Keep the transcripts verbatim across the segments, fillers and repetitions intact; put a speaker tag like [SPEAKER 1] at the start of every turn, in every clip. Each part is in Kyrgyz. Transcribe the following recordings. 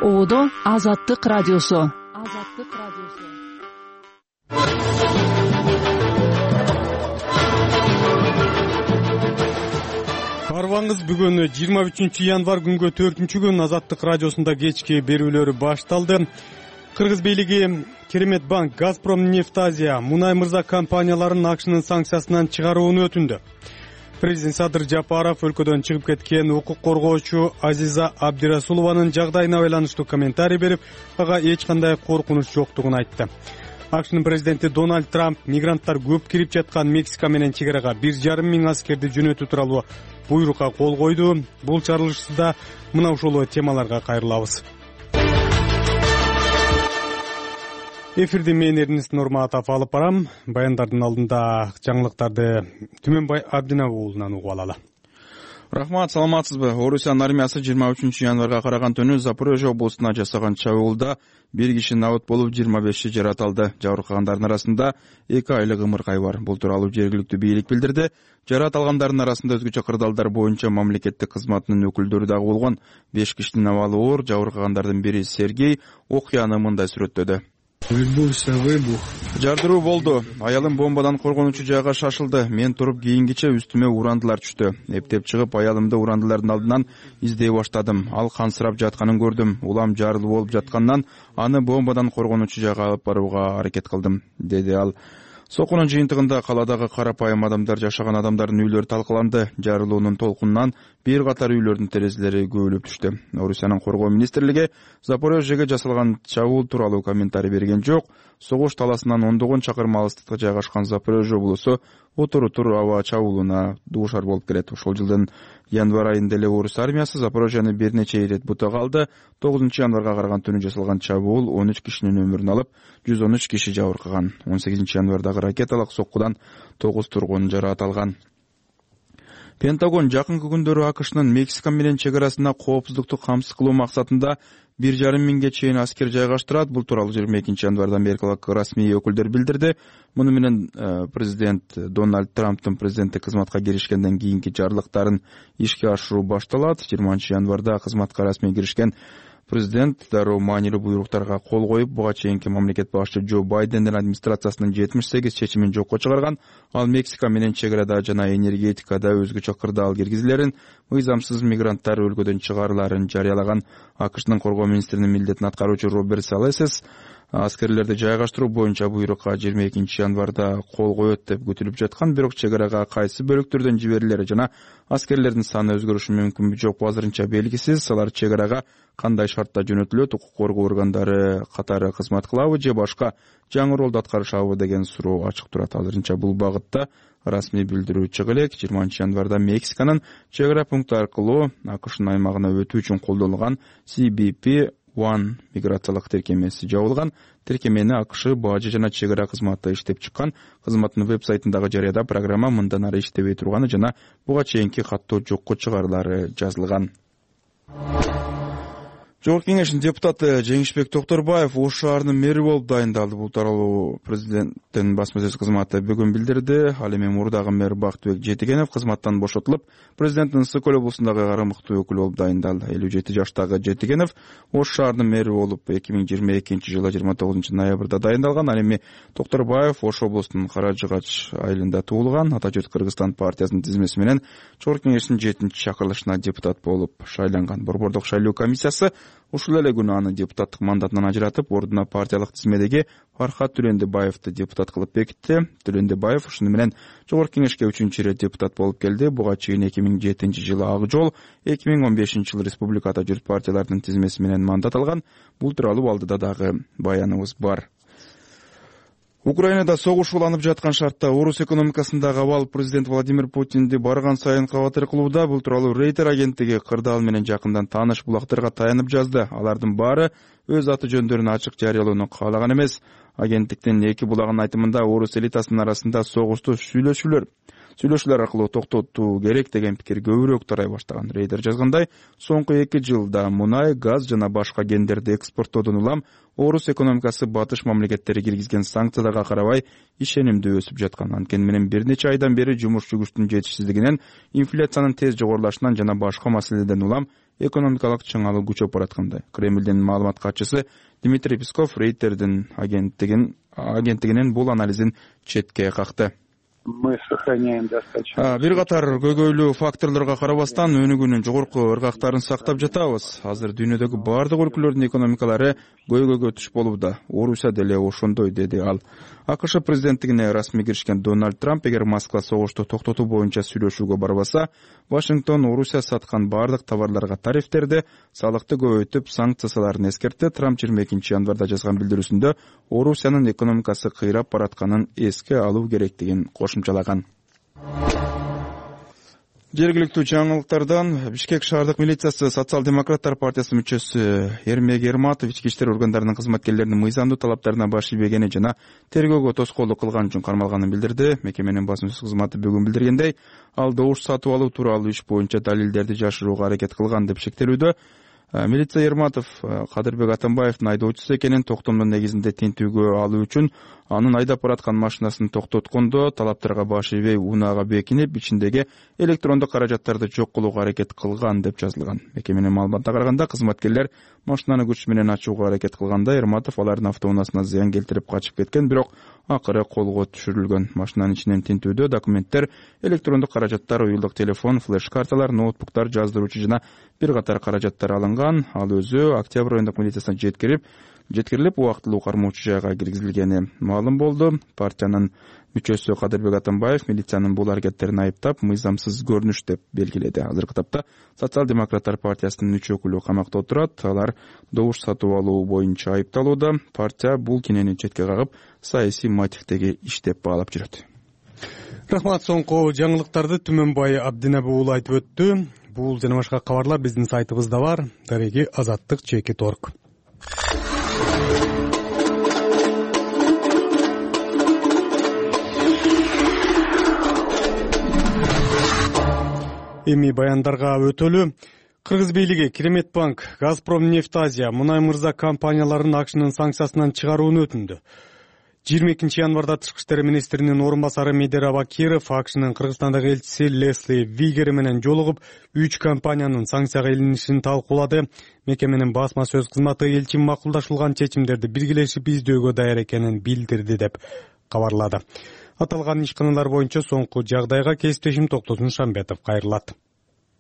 [SPEAKER 1] Оодо Азаттык радиосу. Азаттык радиосу.
[SPEAKER 2] Карбаңыз бүгүн жыйырма үчүнчү январь күнгө төртүнчү күн Азаттык радиосунда кечки берүүлөрү башталды. Кыргыз бийлиги Керемет банк, Газпром Нефтазия, Мунай Мырза компанияларын АКШнын санкциясынан чыгарууну өтүндү. Президент Садыр Жапаров өлкөдөн чыгып кеткен укук коргоочу Азиза Абдирасулованын жагдайына байланыштуу комментарий берип, ага эч кандай коркунуч жоктугун айтты. АКШнын президенти Дональд Трамп мигранттар көп кирип жаткан Мексика менен чек арага бир жарым миң аскерди жөнөтүү тууралуу буйрукка кол койду. Бул чарылышта мына ушул темаларга кайрылабыз. Эфирди мен Эрнест Нурматов алып барам. Баяндардын алдында жаңылыктарды Түмөнбай Абдинабы уулунан угуп алалы.
[SPEAKER 3] Рахмат, саламатсызбы? Орусиянын армиясы жыйырма үчүнчү январга караган түнү Запорожье облусуна жасаган чабуулда бир киши набыт болуп, жыйырма беши жаратылды. Жабыркагандардын арасында эки айлык ымыркай бар. Бул тууралуу жергиликтүү бийлик билдирди. Жарат алгандардын арасында өзгөчө кырдаалдар боюнча мамлекеттик кызматынын өкүлдөрү дагы болгон. беш кишинин абалы оор. Жабыркагандардын бири Сергей окуяны мындай сүрөттөдү. Жардыруу болду. Аялым бомбадан коргонучу жайга шашылды. Мен туруп кийингиче үстүмө урандылар түштү. Эптеп чыгып, аялымды урандылардын алдынан издей баштадым. Ал кансырап жатканын көрдүм. Улам жарылуу болуп жаткандан аны бомбадан коргонучу жайга алып барууга аракет кылдым, деди ал. Сокунун жыйынтыгында каладагы карапайым адамдар жашаган адамдардын үйлөрү талкаланды. Жарылуунун толкунунан бир катар үйлөрдүн терезелери көбүлүп түштү. Орусиянын коргоо министрлиги Запорожьеге жасалган чабуул тууралуу комментарий берген жок. Согуш таласынан ондогон чакырым алыстыкта жайгашкан Запорожье облусу отур-отур аба чабуулуна дуушар болуп келет. Ошол жылдын январь айында эле орус армиясы Запорожьени бир нече ирет бутага алды. тогузунчу январга караган түнү жасалган чабуул он үч кишинин өмүрүн алып, жүз он үч киши жабыркаган. он сегизинчи январдагы ракеталык соккудан тогуз тургун жаракат алган. Пентагон жакынкы күндөрү АКШнын Мексика менен чек арасына коопсуздукту камсыз кылуу максатында бир жарым миңге чейин аскер жайгаштырат. Бул тууралуу жыйырма экинчи январда америкалык расмий өкүлдөр билдирди. Муну менен президент Дональд Трамптын президенттик кызматка киришкенден кийинки жарлыктарын ишке ашыруу башталат. жыйырманчы январда кызматка расмий киришкен президент дароо маанилүү буйруктарга кол коюп, буга чейинки мамлекет башчы Джо Байдендин администрациясынын жетимиш сегиз чечимин жокко чыгарган. Ал Мексика менен чек арада жана энергетикада өзгөчө кырдаал киргизилерин, мыйзамсыз мигранттар өлкөдөн чыгарыларын жарыялаган. АКШнын коргоо министринин милдетин аткаруучу Роберт Салесес аскерлерди жайгаштыруу боюнча буйрукка жыйырма экинчи январда кол коет деп күтүлүп жаткан, бирок чек арага кайсы бөлүктөрдөн жиберилери жана аскерлердин саны өзгөрүшү мүмкүнбү жокпу азырынча белгисиз. Алар чек арага кандай шартта жөнөтүлөт, укук коргоо органдары катары кызмат кылабы же башка жаңы ролду аткарышабы деген суроо ачык турат. Азырынча бул багытта расмий билдирүү чыга элек. жыйырманчы январда Мексиканын чек ара пункту аркылуу АКШнын аймагына өтүү үчүн колдонулган си би пи один миграциялык тиркемеси жабылган. Тиркемени АКШ бажы жана чек ара кызматы иштеп чыккан. Кызматтын веб-сайтындагы жарыяда программа мындан ары иштебей турганы жана буга чейинки каттоо жокко чыгарылары жазылган. Жогорку кеңештин депутаты Жеңишбек Токторбаев Ош шаарынын мэри болуп дайындалды. Бул тууралуу президенттин басма сөз кызматы бүгүн билдирди. Ал эми мурдагы мэр Бактыбек Жетигенов кызматтан бошотулуп, президенттин Ысык көл облусундагы карамыктуу өкүл болуп дайындалды. элүү жети жаштагы Жетигенов Ош шаарынын мэри болуп эки миң жыйырма экинчи жылы жыйырма тогузунчу ноябрда дайындалган. Ал эми Токторбаев Ош облусунун Кара Жыгач айылында туулган. Ата жұрт Кыргызстан партиясынын тизмеси менен Жогорку кеңештин жетинчи чакырылышына депутат болуп шайланган. Борбордук шайлоо комиссиясы ушул эле күнү аны депутаттык мандатынан ажыратып, ордуна партиялык тизмедеги Фархат Түлөндебаевди депутат кылып бекитти. Түлөндебаев ушуну менен Жогорку кеңешке үчүнчү ирет депутат болуп келди. Буга чейин эки миң жетинчи жылы Ак жол, эки миң он бешинчи жылы Республикада жүрүп партиялардын тизмеси менен мандат алган. Бул тууралуу алдыда дагы баяныбыз бар. Украинада согуш уланып жаткан шартта орус экономикасындагы абал президент Владимир Путинди барган сайын кабатыр кылууда. Бул тууралуу Рейтер агенттиги кырдаал менен жакындан тааныш булактарга таянып жазды. Алардын баары өз аты жөндөрүн ачык жарыялоону каалаган эмес. Агенттиктин эки булагынын айтымында орус элитасынын арасында согушту сүйлөшүүлөр сүйлөшүүлөр аркылуу токтотуу керек деген пикир көбүрөөк тарай баштаган. Рейтер жазгандай, соңку эки жылда мунай, газ жана башка кендерди экспорттоодон улам орус экономикасы батыш мамлекеттери киргизген санкцияларга карабай ишенимдүү өсүп жаткан. Анткени менен бир нече айдан бери жумуш күчүнүн жетишсиздигинен, инфляциянын тез жогорулашынан жана башка маселелерден улам экономикалык чыңалуу күчөп бараткандай. Кремлдин маалымат катчысы Дмитрий Песков Рейтердин агенттигин агенттигинин бул анализин четке какты.
[SPEAKER 4] Мы сохраняем достаточно.
[SPEAKER 3] Бир катар көйгөйлүү факторлорго карабастан өнүгүүнүн жогорку ыргактарын сактап жатабыз. Азыр дүйнөдөгү бардык өлкөлөрдүн экономикалары көйгөйгө туш болууда. Орусия деле ошондой, деди ал. АКШ президенттигине расмий киришкен Дональд Трамп эгер Москва согушту токтотуу боюнча сүйлөшүүгө барбаса, Вашингтон Орусия саткан бардык товарларга тарифтерди, салыкты көбөйтүп, санкцияларын эскертти. Трамп жыйырма экинчи январда жазган билдирүүсүндө Орусиянын экономикасы кыйрап баратканын эске алуу керектигин кошумчалаган. Жергиликтүү жаңылыктардан Бишкек шаардык милициясы Социал-демократтар партиясынын мүчөсү Эрмек Эрматов ички иштер органдарынын кызматкерлеринин мыйзамдуу талаптарына баш ийбегени жана тергөөгө тоскоолдук кылган үчүн кармалганын билдирди. Мекеменин басма сөз кызматы бүгүн билдиргендей, ал добуш сатып алуу тууралуу иш боюнча далилдерди жашырууга аракет кылган деп шектелүүдө. Милиция Эрматов Кадырбек Атамбаевдин айдоочусу экенин, токтомдун негизинде тинтүүгө алуу үчүн анын айдап бараткан машинасын токтоткондо талаптарга баш ийбей унаага бекинип, ичиндеги электрондук каражаттарды жок кылууга аракет кылган деп жазылган. Мекеменин маалыматына караганда, кызматкерлер машинаны күч менен ачууга аракет кылганда Эрматов алардын автоунаасына зыян келтирип качып кеткен, бирок акыры колго түшүрүлгөн. Машинанын ичинен тинтүүдө документтер, электрондук каражаттар, уюлдук телефон, флеш-карталар, ноутбуктар, жаздыруучу жана бир катар каражаттар алынган. Ал өзү Октябрь райондук милициясына жеткирип, жеткирилип, убактылуу кармоочу жайга киргизилгени маалым болду. Партиянын мүчөсү Кадырбек Атамбаев милициянын бул аракеттерин айыптап, мыйзамсыз көрүнүш деп белгиледи. Азыркы тапта Социал-демократтар партиясынын үч өкүлү камакта отурат. Алар добуш сатып алуу боюнча айыпталууда. Партия бул кинени четке кагып, саясий мотивдеги иш деп баалап жүрөт.
[SPEAKER 2] Рахмат. Соңку жаңылыктарды Түмөнбай Абдинабы уулу айтып өттү. Бул жана башка кабарлар биздин сайтыбызда бар. Дареги азаттык чекит орг. Эми баяндарга өтөлү. Кыргыз бийлиги Керемет банк, Газпром нефть Азия, Мунай мырза компанияларын акшнын санкциясынан чыгарууну өтүндү. жыйырма экинчи январда тышкы иштер министринин орун басары Медер Абакиров акшнын Кыргызстандагы элчиси Лесли Вигер менен жолугуп, үч компаниянын санкцияга илинишин талкуулады. Мекеменин басма сөз кызматы элчи макулдашылган чечимдерди биргелешип издөөгө даяр экенин билдирди деп кабарлады. Аталган ишканалар боюнча соңку жагдайга кесиптешим Токтосун Шамбетов кайрылат.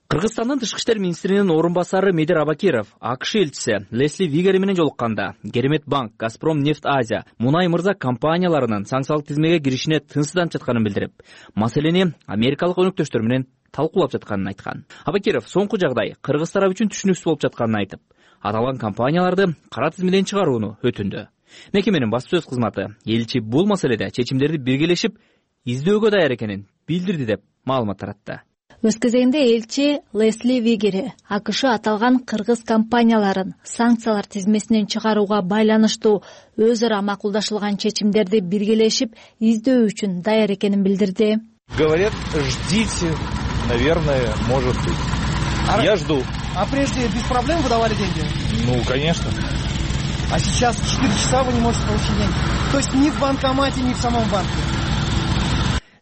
[SPEAKER 1] Кыргызстандын тышкы иштер министринин орун басары Медер Абакиров АКШ элчиси Лесли Вигер менен жолукканда Керемет банк, Газпром нефть Азия, Мунай мырза компанияларынын санкциялык тизмеге киришине тынчсызданып жатканын билдирип, маселени америкалык өнөктөштөр менен талкуулап жатканын айткан. Абакиров соңку жагдай кыргыз тарап үчүн түшүнүксүз болуп жатканын айтып, аталган компанияларды кара тизмеден чыгарууну өтүндү. Мекеменин басма сөз кызматы элчи бул маселеде чечимдерди биргелешип издөөгө даяр экенин билдирди деп маалымат таратты.
[SPEAKER 5] Өз кезегинде элчи Лесли Вигер АКШ аталган кыргыз компанияларын санкциялар тизмесинен чыгарууга байланыштуу өз ара макулдашылган чечимдерди биргелешип издөө үчүн даяр экенин билдирди.
[SPEAKER 6] Говорят, ждите, наверное, может быть. А я жду.
[SPEAKER 7] А прежде без проблем выдавали деньги?
[SPEAKER 6] Ну, конечно.
[SPEAKER 7] А сейчас четыре часа вы не можете получить деньги? То есть ни в банкомате, ни в самом банке?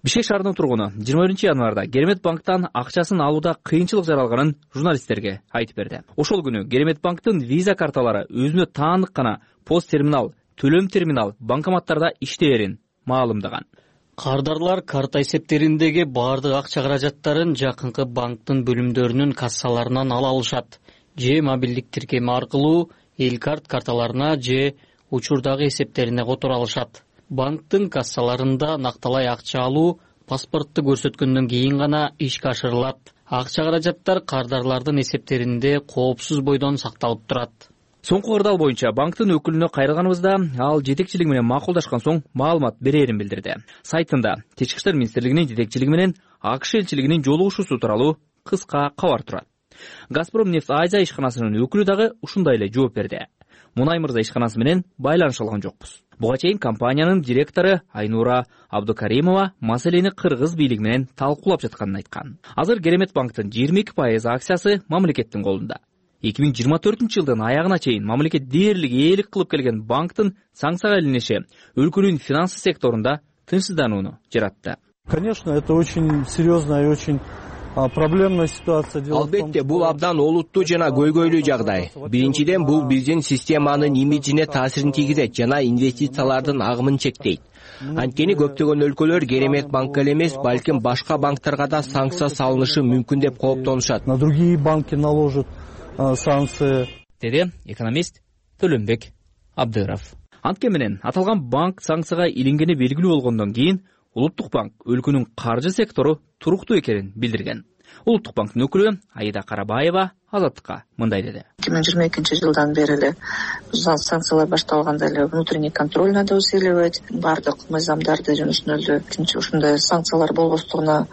[SPEAKER 1] Бишкек шаарынын тургуну жыйырма биринчи январда Керемет банктан акчасын алууда кыйынчылык жаралганын журналисттерге айтып берди. Ошол күнү Керемет банктын виза карталары өзүнө таандык гана пост терминал, төлөм терминал банкоматтарда иштээрин маалымдаган.
[SPEAKER 8] Кардарлар карта эсептериндеги бардык акча каражаттарын жакынкы банктын бөлүмдөрүнүн кассаларынан ала алышат. Же мобилдик тиркеме аркылуу эл карт карталарына же учурдагы эсептерине которо алышат. Банктын кассаларында накталай акча алуу паспортты көрсөткөндөн кийин гана ишке ашырылат. Акча каражаттар кардарлардын эсептеринде коопсуз бойдон сакталып турат.
[SPEAKER 1] Соңку кырдаал боюнча банктын өкүлүнө кайрылганыбызда ал жетекчилиги менен макулдашкан соң маалымат берерин билдирди. Сайтында Тышкы иштер министрлигинин жетекчилиги менен АКШ элчилигинин жолугушуусу тууралуу кыска кабар турат. Газпром нефть Азия ишканасынын өкүлү дагы ушундай эле жооп берди. Мунай мырза ишканасы менен байланыша алган жокпуз. Буга чейин компаниянын директору Айнура Абдукаримова маселени кыргыз бийлиги менен талкуулап жатканын айткан. Азыр Керемет банктын жыйырма эки пайыз акциясы мамлекеттин колунда. эки миң жыйырма төртүнчү жылдын аягына чейин мамлекет дээрлик ээлик кылып келген банктын санкцияга илиниши өлкөнүн финансы секторунда тынчсызданууну жаратты.
[SPEAKER 9] Конечно, это очень серьезная и очень проблемная ситуация.
[SPEAKER 10] Албетте, бул абдан олуттуу жана көйгөйлүү жагдай. Биринчиден, бул биздин системанын имиджине таасирин тийгизет жана инвестициялардын агымын чектейт. Анткени көптөгөн өлкөлөр керемет банкка эле эмес, балким башка банктарга да санкция салынышы мүмкүн деп кооптонушат.
[SPEAKER 9] На другие банки наложат санкции.
[SPEAKER 1] Деди экономист Төлөнбек Абдыров. Анткени менен аталган банк санкцияга илингени белгилүү болгондон кийин Улуттук банк өлкөнүн каржы сектору туруктуу экенин билдирген. Улуттук банктын өкүлү Аида Карабаева Азаттыкка мындай деди.
[SPEAKER 11] эки миң жыйырма экинчи жылдан бери эле санкциялар башталганда эле внутренний контроль надо усиливать, бардык мыйзамдарды жөнөтүнөлдү, ушундай санкциялар болбостугуна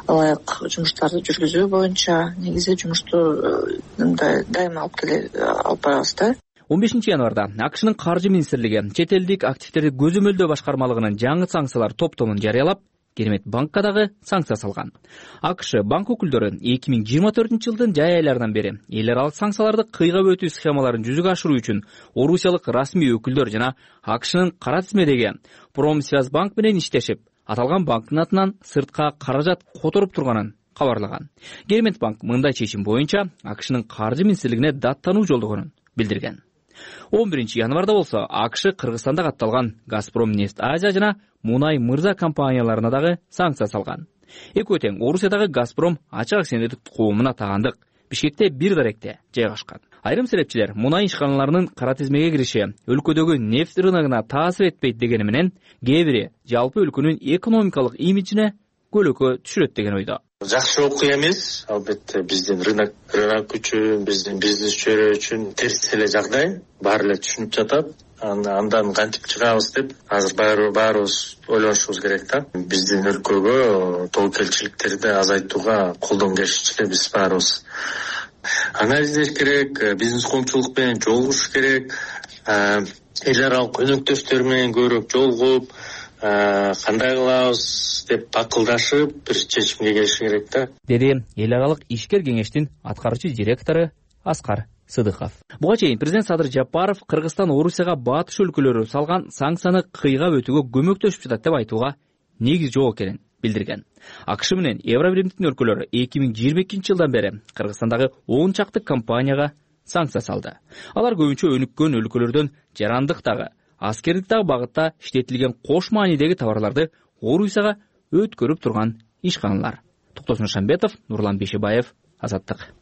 [SPEAKER 11] ылайык жумуштарды жүргүзүү боюнча негизи жумушту дайыма алып келе алып барабыз да.
[SPEAKER 1] он бешинчи январда АКШнын каржы министрлиги чет элдик активдерди көзөмөлдөө башкармалыгынын жаңы санкциялар топтомун жарыялап, Керемет банкка дагы санкция салган. АКШ банк өкүлдөрү эки миң жыйырма төртүнчү жылдын жай айларынан бери эл аралык санкцияларды кыйгап өтүү схемаларын жүзүгө ашыруу үчүн орусиялык расмий өкүлдөр жана АКШнын кара тизмедеги Промсвязьбанк менен иштешип, аталган банктын атынан сыртка каражат которуп турганын кабарлаган. Керемет банк мындай чечим боюнча АКШнын каржы министрлигине даттануу жолдогонун билдирген. он биринчи январда болсо АКШ Кыргызстанда катталган Газпром нефть Азия жана Мунай Мырза компанияларына дагы санкция салган. Экөө тең Орусиядагы Газпром ачык акционердик коомуна тагандык Бишкекте бир даректе жайгашкан. Айрым серепчилер мунай ишканаларынын кара тизмеге кириши өлкөдөгү нефть рыногуна таасир этпейт дегени менен, кээ бири жалпы өлкөнүн экономикалык имиджине көлөкө түшүрөт деген ойдо.
[SPEAKER 12] Жакшы окуя эмес, албетте биздин рынок рынок үчүн, биздин бизнесчилер үчүн терс эле жагдай, баары эле түшүнүп жатат. Андан кантип чыгабыз деп азыр баарыбыз ойлонушубуз керек да. Биздин өлкөгө тобокелчиликтерди азайтууга колдон келишинче биз баарыбыз анализдеш керек, бизнес коомчулук менен жолугуш керек, эл аралык өнөктөштөр менен көбүрөөк жолугуп, кандай кылабыз деп акылдашып бир чечимге келиш керек да.
[SPEAKER 1] Деди эл аралык ишкер кеңештин аткаруучу директору Аскар Сыдыков. Буга чейин президент Садыр Жапаров Кыргызстан Орусияга батыш өлкөлөрү салган санкцияны кыйгап өтүүгө көмөктөшүп жатат деп айтууга негиз жок экенин билдирген. АКШ менен Евробиримдин өлкөлөрү эки миң жыйырма экинчи жылдан бери Кыргызстандагы он чакты компанияга санкция салды. Алар көбүнчө өнүккөн өлкөлөрдөн жарандыктагы, аскердиктагы багытта иштетилген кош маанидеги товарларды Орусияга өткөрүп турган ишканалар. Токтосун Шамбетов, Нурлан Бешебаев, Азаттык.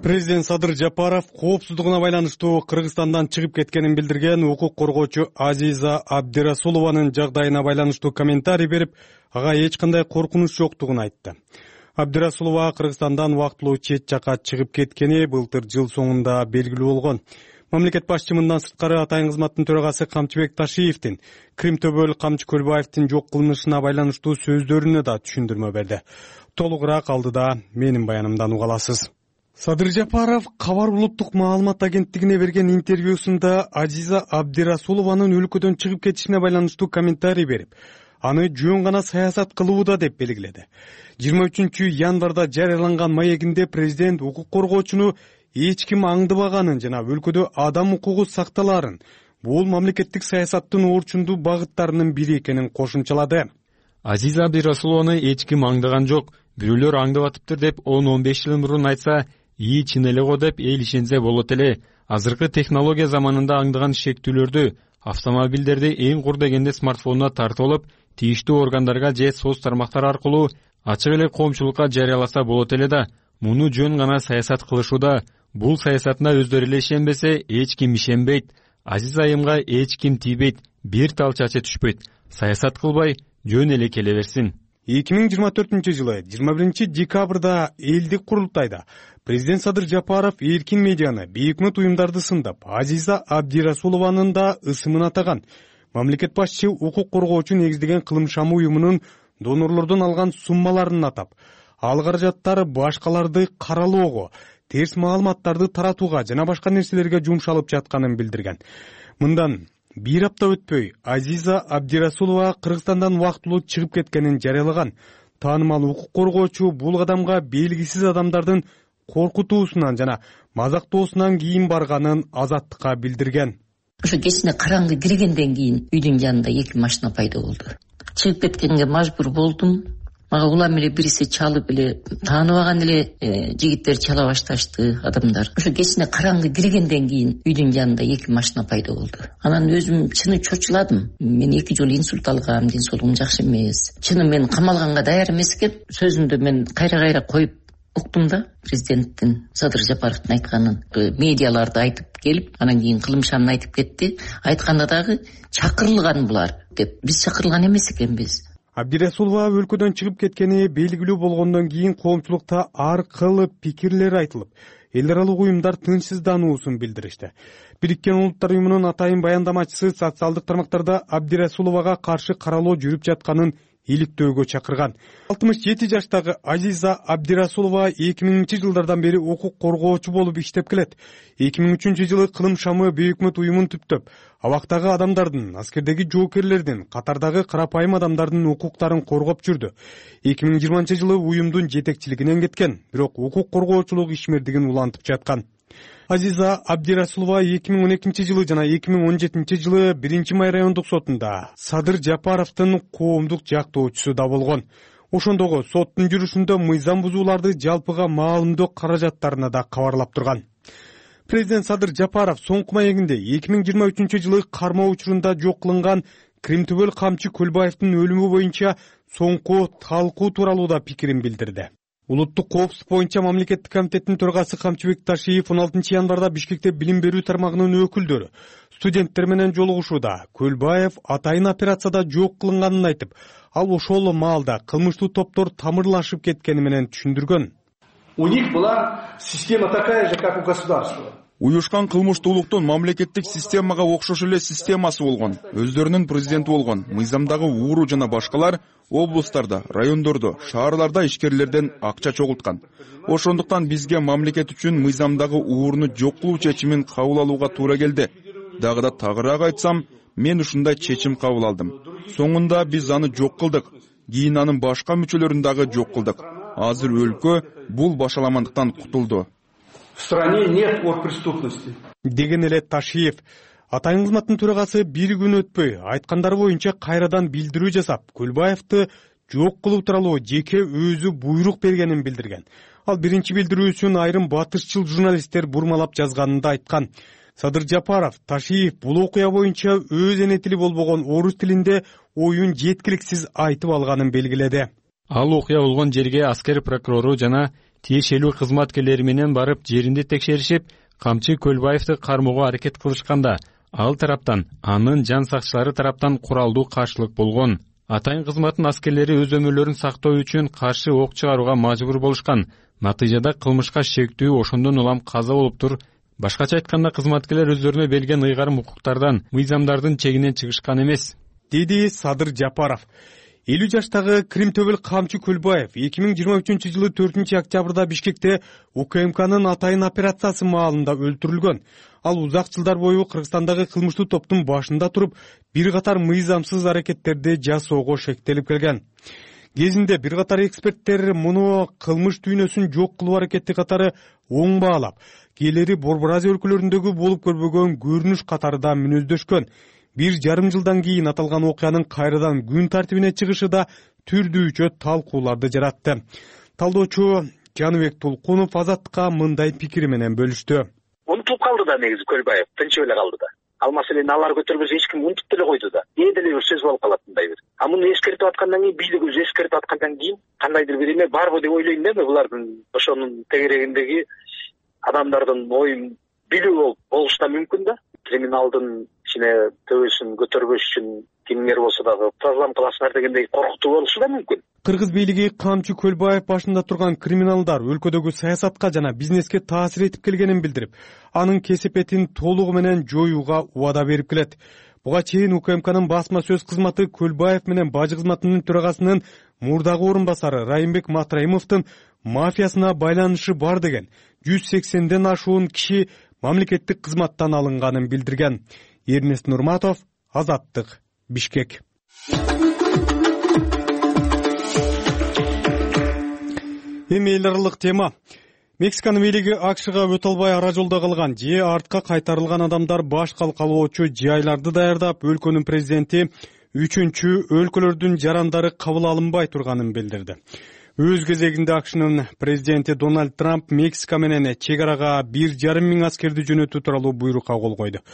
[SPEAKER 2] Президент Садыр Жапаров коопсуздугуна байланыштуу Кыргызстандан чыгып кеткенин билдирген укук коргоочу Азиза Абдирасулованын жагдайына байланыштуу комментарий берип, ага эч кандай коркунуч жоктугун айтты. Абдирасулова Кыргызстандан убактылуу чет жакка чыгып кеткени былтыр жыл соңунда белгилүү болгон. Мамлекет башчы мындан сырткары Атайын кызматтын төрагасы Камчыбек Ташиевдин Крим Төбөл Камчы Көлбаевдин жок кылынышына байланыштуу сөздөрүнө да түшүндүрмө берди. Толугураак алдыда менин баянымдан уга аласыз. Садыр Жапаров Кабар улуттук маалымат агенттигине берген интервьюсунда Азиза Абдирасулованын өлкөдөн чыгып кетишине байланыштуу комментарий берип, аны жөн гана саясат кылууда деп белгиледи. жыйырма үчүнчү январда жарыяланган маегинде президент укук коргоочуну эч ким аңдыбаганын жана өлкөдө адам укугу сакталаарын, бул мамлекеттик саясаттын орчундуу багыттарынын бири экенин кошумчалады.
[SPEAKER 13] Азиза Абдирасулованы эч ким аңдаган жок, бирөөлөр аңдып атыптыр деп он он беш жыл мурун айтса, ии чын эле го деп эл ишенсе болот эле. Азыркы технология заманында аңдаган шектүүлөрдү, автомобилдерди эң кур дегенде смартфонуна тартып алып, тийиштүү органдарга же соц тармактар аркылуу ачык эле коомчулукка жарыяласа болот эле да. Муну жөн гана саясат кылышууда. Бул саясатына өздөрү эле ишенбесе, эч ким ишенбейт. Азиз айымга эч ким тийбейт, бир тал чачы түшпөйт. Саясат кылбай, жөн эле келе берсин.
[SPEAKER 2] эки миң жыйырма төртүнчү жылы жыйырма биринчи декабрда элдик курултайда президент Садыр Жапаров эркин медианы, бейөкмөт уюмдарды сындап, Азиза Абдирасулованын да ысымын атаган. Мамлекет башчы укук коргоочу негиздеген кылым шамы уюмунун донорлордон алган суммаларын атап, ал каражаттар башкаларды каралоого, терс маалыматтарды таратууга жана башка нерселерге жумшалып жатканын билдирген. Мындан бир апта өтпөй Азиза Абдирасулова Кыргызстандан убактылуу чыгып кеткенин жарыялаган. Таанымал укук коргоочу бул кадамга белгисиз адамдардын коркутуусунан жана мазактоосунан кийин барганын Азаттыкка билдирген.
[SPEAKER 14] Ошо кечине караңгы киргенден кийин үйдүн жанында эки машина пайда болду. Чыгып кеткенге мажбур болдум. Мага улам эле бириси чалып эле тааныбаган эле жигиттер чала башташты, адамдар. Ошо кечине караңгы киргенден кийин үйдүн жанында эки машина пайда болду. Анан өзүм чыны чочуладым. Мен эки жолу инсульт алгам, ден соолугум жакшы эмес. Чыны мен камалганга даяр эмес экен. Сөзүндө мен кайра-кайра коюп уктум да, президенттин Садыр Жапаровдун айтканын. Медиаларды айтып келип, анан кийин кылымшанын айтып кетти. Айтканда дагы чакырылган булар деп. Биз чакырылган эмес экенбиз.
[SPEAKER 2] Абдирасулова өлкөдөн чыгып кеткени белгилүү болгондон кийин коомчулукта ар кыл пикирлер айтылып, эл аралык уюмдар тынчсыздануусун билдиришти. Бириккен Улуттар уюмунун атайын баяндамачысы социалдык тармактарда Абдирасуловага каршы каралоо жүрүп жатканын иликтөөгө чакырган. алтымыш жети жаштагы Азиза Абдирасулова эки миңинчи жылдардан бери укук коргоочу болуп иштеп келет. эки миң үчүнчү жылы Кылым шамы Бейөкмөт уюмун түптөп, абактагы адамдардын, аскердеги жоокерлердин, катардагы карапайым адамдардын укуктарын коргоп жүрдү. эки миң жыйырманчы жылы уюмдун жетекчилигинен кеткен, бирок укук коргоочулук ишмердигин улантып жаткан. Азиза Абдирасулова эки миң он экинчи жылы жана эки миң он жетинчи жылы биринчи май райондук сотунда Садыр Жапаровдун коомдук жактоочусу да болгон. Ошондогу соттун жүрүшүндө мыйзам бузууларды жалпыга маалымдоо каражаттарына да кабарлап турган. Президент Садыр Жапаров соңку маегинде эки миң жыйырма үчүнчү жылы кармоо учурунда жок кылынган Кримтөбөл Камчы Көлбаевдин өлүмү боюнча соңку талкуу тууралуу да пикирин билдирди. Улуттук коопсуздук боюнча мамлекеттик комитеттин төрагасы Камчыбек Ташиев он алтынчы январда Бишкекте билим берүү тармагынын өкүлдөрү студенттер менен жолугушууда Көлбаев атайын операцияда жок кылынганын айтып, ал ошол маалда кылмыштуу топтор тамырлашып кеткени менен түшүндүргөн.
[SPEAKER 15] У них была система такая же, как у государства.
[SPEAKER 3] Уюшкан кылмыштуулуктун мамлекеттик системага окшош эле системасы болгон. Өздөрүнүн президенти болгон. Мыйзамдагы ууру жана башкалар облустарда, райондордо, шаарларда ишкерлерден акча чогулткан. Ошондуктан бизге мамлекет үчүн мыйзамдагы ууруну жок кылуу чечимин кабыл алууга туура келди. Дагы да тагыраак айтсам, мен ушундай чечим кабыл алдым. Соңунда биз аны жок кылдык. Кийин анын башка мүчөлөрүн дагы жок кылдык. Азыр өлкө бул башаламандыктан кутулду.
[SPEAKER 15] В стране нет оргпреступности.
[SPEAKER 2] Деген эле Ташиев. Атайын кызматтын төрагасы бир күн өтпөй айткандары боюнча кайрадан билдирүү жасап, Көлбаевди жок кылуу тууралуу жеке өзү буйрук бергенин билдирген. Ал биринчи билдирүүсүн айрым батышчыл журналисттер бурмалап жазганын да айткан. Садыр Жапаров, Ташиев бул окуя боюнча өз эне тили болбогон орус тилинде оюн жеткиликсиз айтып алганын белгиледи.
[SPEAKER 13] Ал окуя болгон жерге аскер прокурору жана тиешелүү кызматкерлери менен барып жеринде текшеришип, Камчы Көлбаевди кармоого аракет кылышканда, ал тараптан анын жан сакчылары тараптан куралдуу каршылык болгон. Атайын кызматтын аскерлери өз өмүрлөрүн сактоо үчүн каршы ок чыгарууга мажбур болушкан. Натыйжада кылмышка шектүү ошондон улам каза болуптур. Башкача айтканда, кызматкерлер өздөрүнө берилген ыйгарым укуктардан, мыйзамдардын чегинен чыгышкан эмес,
[SPEAKER 2] деди Садыр Жапаров. элүү жаштагы Кримтөбөл Камчы Көлбаев эки миң жыйырма үчүнчү жылы төртүнчү октябрда Бишкекте УКМКнын атайын операциясы маалында өлтүрүлгөн. Ал узак жылдар бою Кыргызстандагы кылмыштуу топтун башында туруп, бир катар мыйзамсыз аракеттерди жасоого шектелип келген. Кезинде бир катар эксперттер муну кылмыш дүйнөсүн жок кылуу аракети катары оң баалап, келери Борбор Азия өлкөлөрүндөгү болуп көрбөгөн көрүнүш катары да мүнөздөшкөн. Бир жарым жылдан кийин аталган окуянын кайрадан күн тартибине чыгышы да түрдүүчө талкууларды жаратты. Талдоочу Жаныбек Тулкунов Азаттыкка мындай пикири менен бөлүштү.
[SPEAKER 16] Унутулуп калды да негизи Көлбаев, тынчып эле калды да. Ал маселени алар көтөрбөсө эч ким унутуп деле койду да. Ээ деле бир сөз болуп калат мындай бир. А муну эскертип аткандан кийин, бийлик өзү эскертип аткандан кийин кандайдыр бир эме барбы деп ойлойм да мен булардын ошонун тегерегиндеги адамдардын оюн билүү болушу да мүмкүн да. Криминалдын ичине төбөсүн көтөрбөш үчүн кимдер болсо дагы программа кыласыңар дегендей коркутуу болушу да мүмкүн.
[SPEAKER 2] Кыргыз бийлиги Камчы Көлбаев башында турган криминалдар өлкөдөгү саясатка жана бизнеске таасир этип келгенин билдирип, анын кесепетин толугу менен жоюуга убада берип келет. Буга чейин УКМКнын басма сөз кызматы Көлбаев менен бажы кызматынын төрагасынын мурдагы орун басары Райымбек Матраимовдун мафиясына байланышы бар деген жүз сексенден ашуун киши мамлекеттик кызматтан алынганын билдирген. Эрнест Нурматов, Азаттык, Бишкек. Эми эл аралык тема. Мексиканын бийлиги АКШга өтө албай ара жолдо калган же артка кайтарылган адамдар баш калкалоочу жайларды даярдап, өлкөнүн президенти үчүнчү өлкөлөрдүн жарандары кабыл алынбай турганын билдирди. Өз кезегинде АКШнын президенти Дональд Трамп Мексика менен чек арага бир жарым миң аскерди жөнөтүү тууралуу буйрукка кол койду.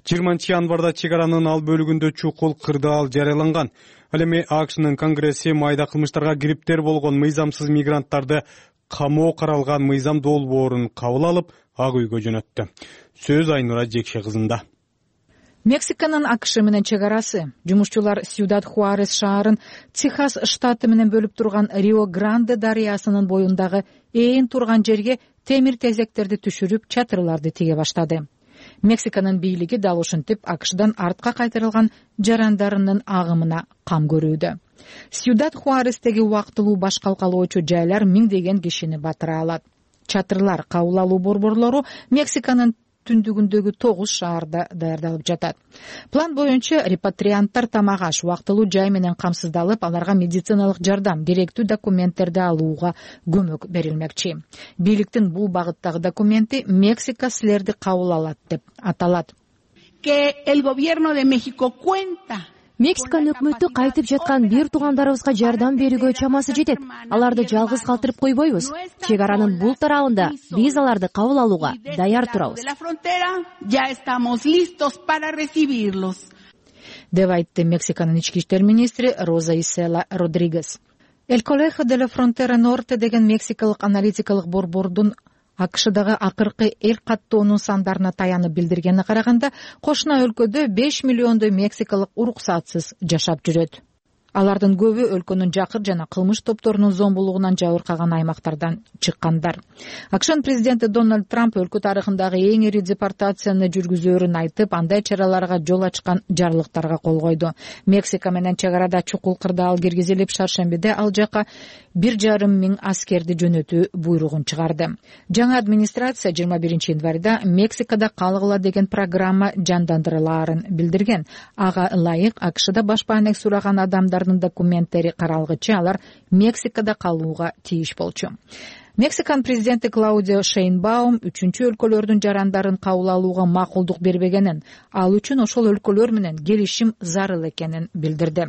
[SPEAKER 2] жыйырманчы январда чек аранын ал бөлүгүндө чукул кырдаал жарыяланган. Ал эми АКШнын Конгресси майда кылмыштарга кириптер болгон мыйзамсыз мигранттарды камоо каралган мыйзам долбоорун кабыл алып, ак үйгө жөнөттү. Сөз Айнура Жекше кызында.
[SPEAKER 17] Мексиканын АКШ менен чек арасы. Жумушчулар Сьюдад Хуарес шаарын Техас штаты менен бөлүп турган Рио Гранде дарыясынын боюндагы ээн турган жерге темир тезектерди түшүрүп, чатырларды тиге баштады. Мексиканын бийлиги дал ушинтип АКШдан артка кайтарылган жарандарынын агымына кам көрүүдө. Сьюдад Хуарестеги убактылуу баш калкалоочу жайлар миңдеген кишини батыра алат. Чатырлар кабыл алуу борборлору Мексиканын түндүгүндөгү тогуз шаарда даярдалып жатат. План боюнча репатрианттар тамак аш, убактылуу жай менен камсыздалып, аларга медициналык жардам, керектүү документтерди алууга көмөк берилмекчи. Бийликтин бул багыттагы документи Мексика силерди кабыл алат деп аталат.
[SPEAKER 18] Que el gobierno de México cuenta
[SPEAKER 19] Мексиканын өкмөтү кайтып жаткан бир туугандарыбызга жардам берүүгө чамасы жетет. Аларды жалгыз калтырып койбойбуз. Чек аранын бул тарабында биз аларды кабыл алууга даяр турабыз.
[SPEAKER 17] деп айтты Мексиканын ички иштер министри Роза Исела Родригес. El Colegio de la Frontera Norte деген мексикалык аналитикалык борбордун АКШдагы акыркы эл каттоонун сандарына таянып билдиргенине караганда, кошуна өлкөдө беш миллиондой мексикалык уруксатсыз жашап жүрөт. Алардын көбү өлкөнүн жакыр жана кылмыш топторунун зомбулугунан жабыркаган аймактардан чыккандар. АКШнын президенти Дональд Трамп өлкө тарыхындагы эң ири депортацияны жүргүзөөрүн айтып, андай чараларга жол ачкан жарлыктарга кол койду. Мексика менен чек арада чукул кырдаал киргизилип, шаршембиде ал жака бир жарым миң аскерди жөнөтүү буйругун чыгарды. Жаңы администрация жыйырма биринчи январда Мексикада калгыла деген программа жандандырылаарын билдирген. Ага ылайык АКШда баш баанек сураган адамдар документтери каралгычы алар Мексикада калууга тийиш болчу. Мексиканын президенти Клаудио Шейнбаум үчүнчү өлкөлөрдүн жарандарын кабыл алууга макулдук бербегенин, ал үчүн ошол өлкөлөр менен келишим зарыл экенин билдирди.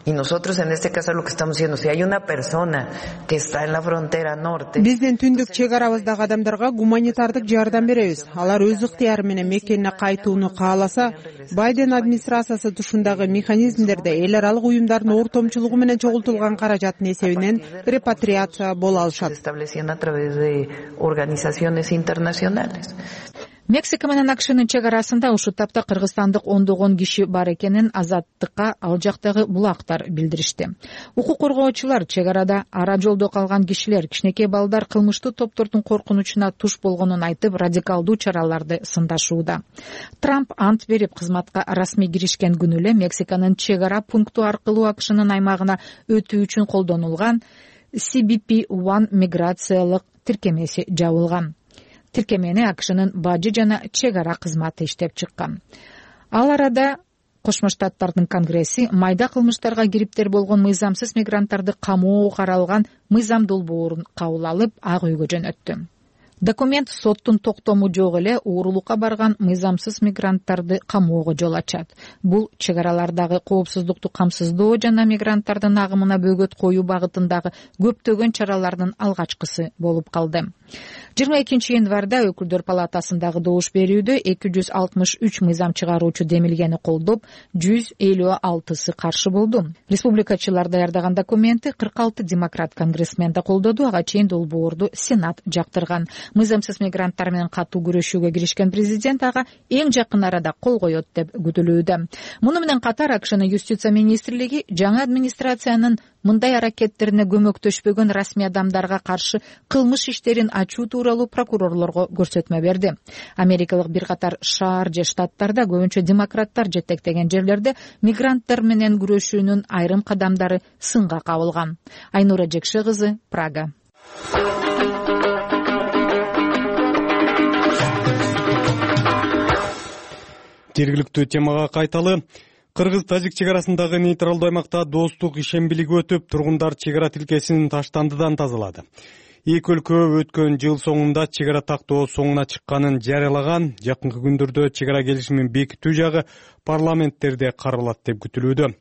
[SPEAKER 20] Y nosotros en este caso lo que estamos diciendo, si hay una persona que está en la frontera norte.
[SPEAKER 21] Биздин түндүк чек арабыздагы адамдарга гуманитардык жардам беребиз. Алар өз ыктыяры менен мекенине кайтууну кааласа, Байден администрациясы тушундагы механизмдерде эл аралык уюмдардын ортомчулугу менен чогултулган каражаттын эсебинен репатриация боло алышат.
[SPEAKER 20] Estableciendo a través de organizaciones internacionales.
[SPEAKER 17] Мексика менен АКШнын чек арасында ушул тапта кыргызстандык ондогон киши бар экенин Азаттыкка ал жактагы булактар билдиришти. Укук коргоочулар чек арада ара жолдо калган кишилер, кичинекей балдар кылмыштуу топтордун коркунучуна туш болгонун айтып, радикалдуу чараларды сындашууда. Трамп ант берип кызматка расмий киришкен күнү эле Мексиканын чек ара пункту аркылуу АКШнын аймагына өтүү үчүн колдонулган си би пи один миграциялык тиркемеси жабылган. Тиркемени АКШнын бажы жана чек ара кызматы иштеп чыккан. Ал арада Кошмо Штаттардын Конгресси майда кылмыштарга кириптер болгон мыйзамсыз мигранттарды камоого каралган мыйзам долбоорун кабыл алып, ак үйгө жөнөттү. Документ соттун токтому жок эле уурулукка барган мыйзамсыз мигранттарды камоого жол ачат. Бул чек аралардагы коопсуздукту камсыздоо жана мигранттардын агымына бөгөт коюу багытындагы көптөгөн чаралардын алгачкысы болуп калды. жыйырма экинчи январда өкүлдөр палатасындагы добуш берүүдө эки жүз алтымыш үч мыйзам чыгаруучу демилгени колдоп, жүз элүү алтысы каршы болду. Республикачылар даярдаган документти кырк алты демократ конгрессмен да колдоду, ага чейин долбоорду Сенат жактырган. Мыйзамсыз мигранттар менен катуу күрөшүүгө киришкен президент ага эң жакын арада кол коет деп күтүлүүдө. Муну менен катар АКШнын юстиция министрлиги жаңы администрациянын мындай аракеттерине көмөктөшпөгөн расмий адамдарга каршы кылмыш иштерин ачуу тууралуу прокурорлорго көрсөтмө берди. Америкалык бир катар шаар же штаттарда, көбүнчө демократтар жетектеген жерлерде мигранттар менен күрөшүүнүн айрым кадамдары сынга кабылган. Айнура Жекше кызы, Прага.
[SPEAKER 2] Жергиликтүү темага кайталы. Кыргыз-тажик чек арасындагы нейтралдуу аймакта достук ишембилиги өтүп, тургундар чек ара тилкесин таштандыдан тазалады. Эки өлкө өткөн жыл соңунда чек ара тактоо соңуна чыкканын жарыялаган. Жакынкы күндөрдө чек ара келишимин бекитүү жагы парламенттерде каралат деп күтүлүүдө.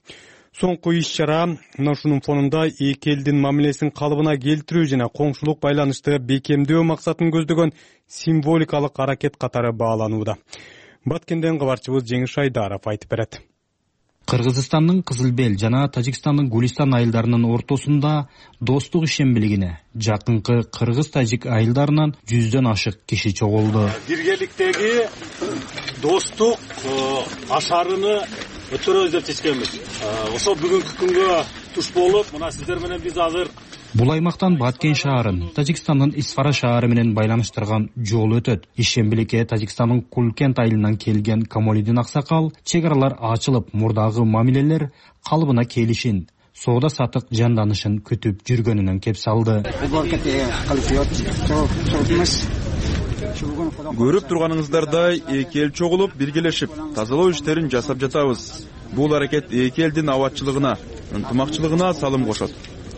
[SPEAKER 2] Соңку иш чара мына ушунун фонунда эки элдин мамилесин калыбына келтирүү жана коңшулук байланышты бекемдөө максатын көздөгөн символикалык аракет катары бааланууда. Баткенден кабарчыбыз Жеңиш Айдаров айтып берет.
[SPEAKER 4] Кыргызстандын Кызылбел жана Тажикстандын Гулистан айылдарынын ортосунда достук ишембилигине жакынкы кыргыз-тажик айылдарынан жүздөн ашык киши чогулду.
[SPEAKER 22] Биргеликтеги достук ашарыны өтөрөбүз деп чечкенбиз. Ошол бүгүнкү күнгө туш болуп, мына сиздер менен биз азыр
[SPEAKER 4] бул аймактан Баткен шаарын Тажикстандын Исфара шаары менен байланыштырган жол өтөт. Ишембиликке Тажикстандын Кулкент айылынан келген Камолидин аксакал чек аралар ачылып, мурдагы мамилелер калыбына келишин, соода сатык жанданышын күтүп жүргөнүнөн кеп салды.
[SPEAKER 3] Көрүп турганыңыздардай эки эл чогулуп, биргелешип, тазалоо иштерин жасап жатабыз. Бул аракет эки элдин абадчылыгына, ынтымакчылыгына салым кошот.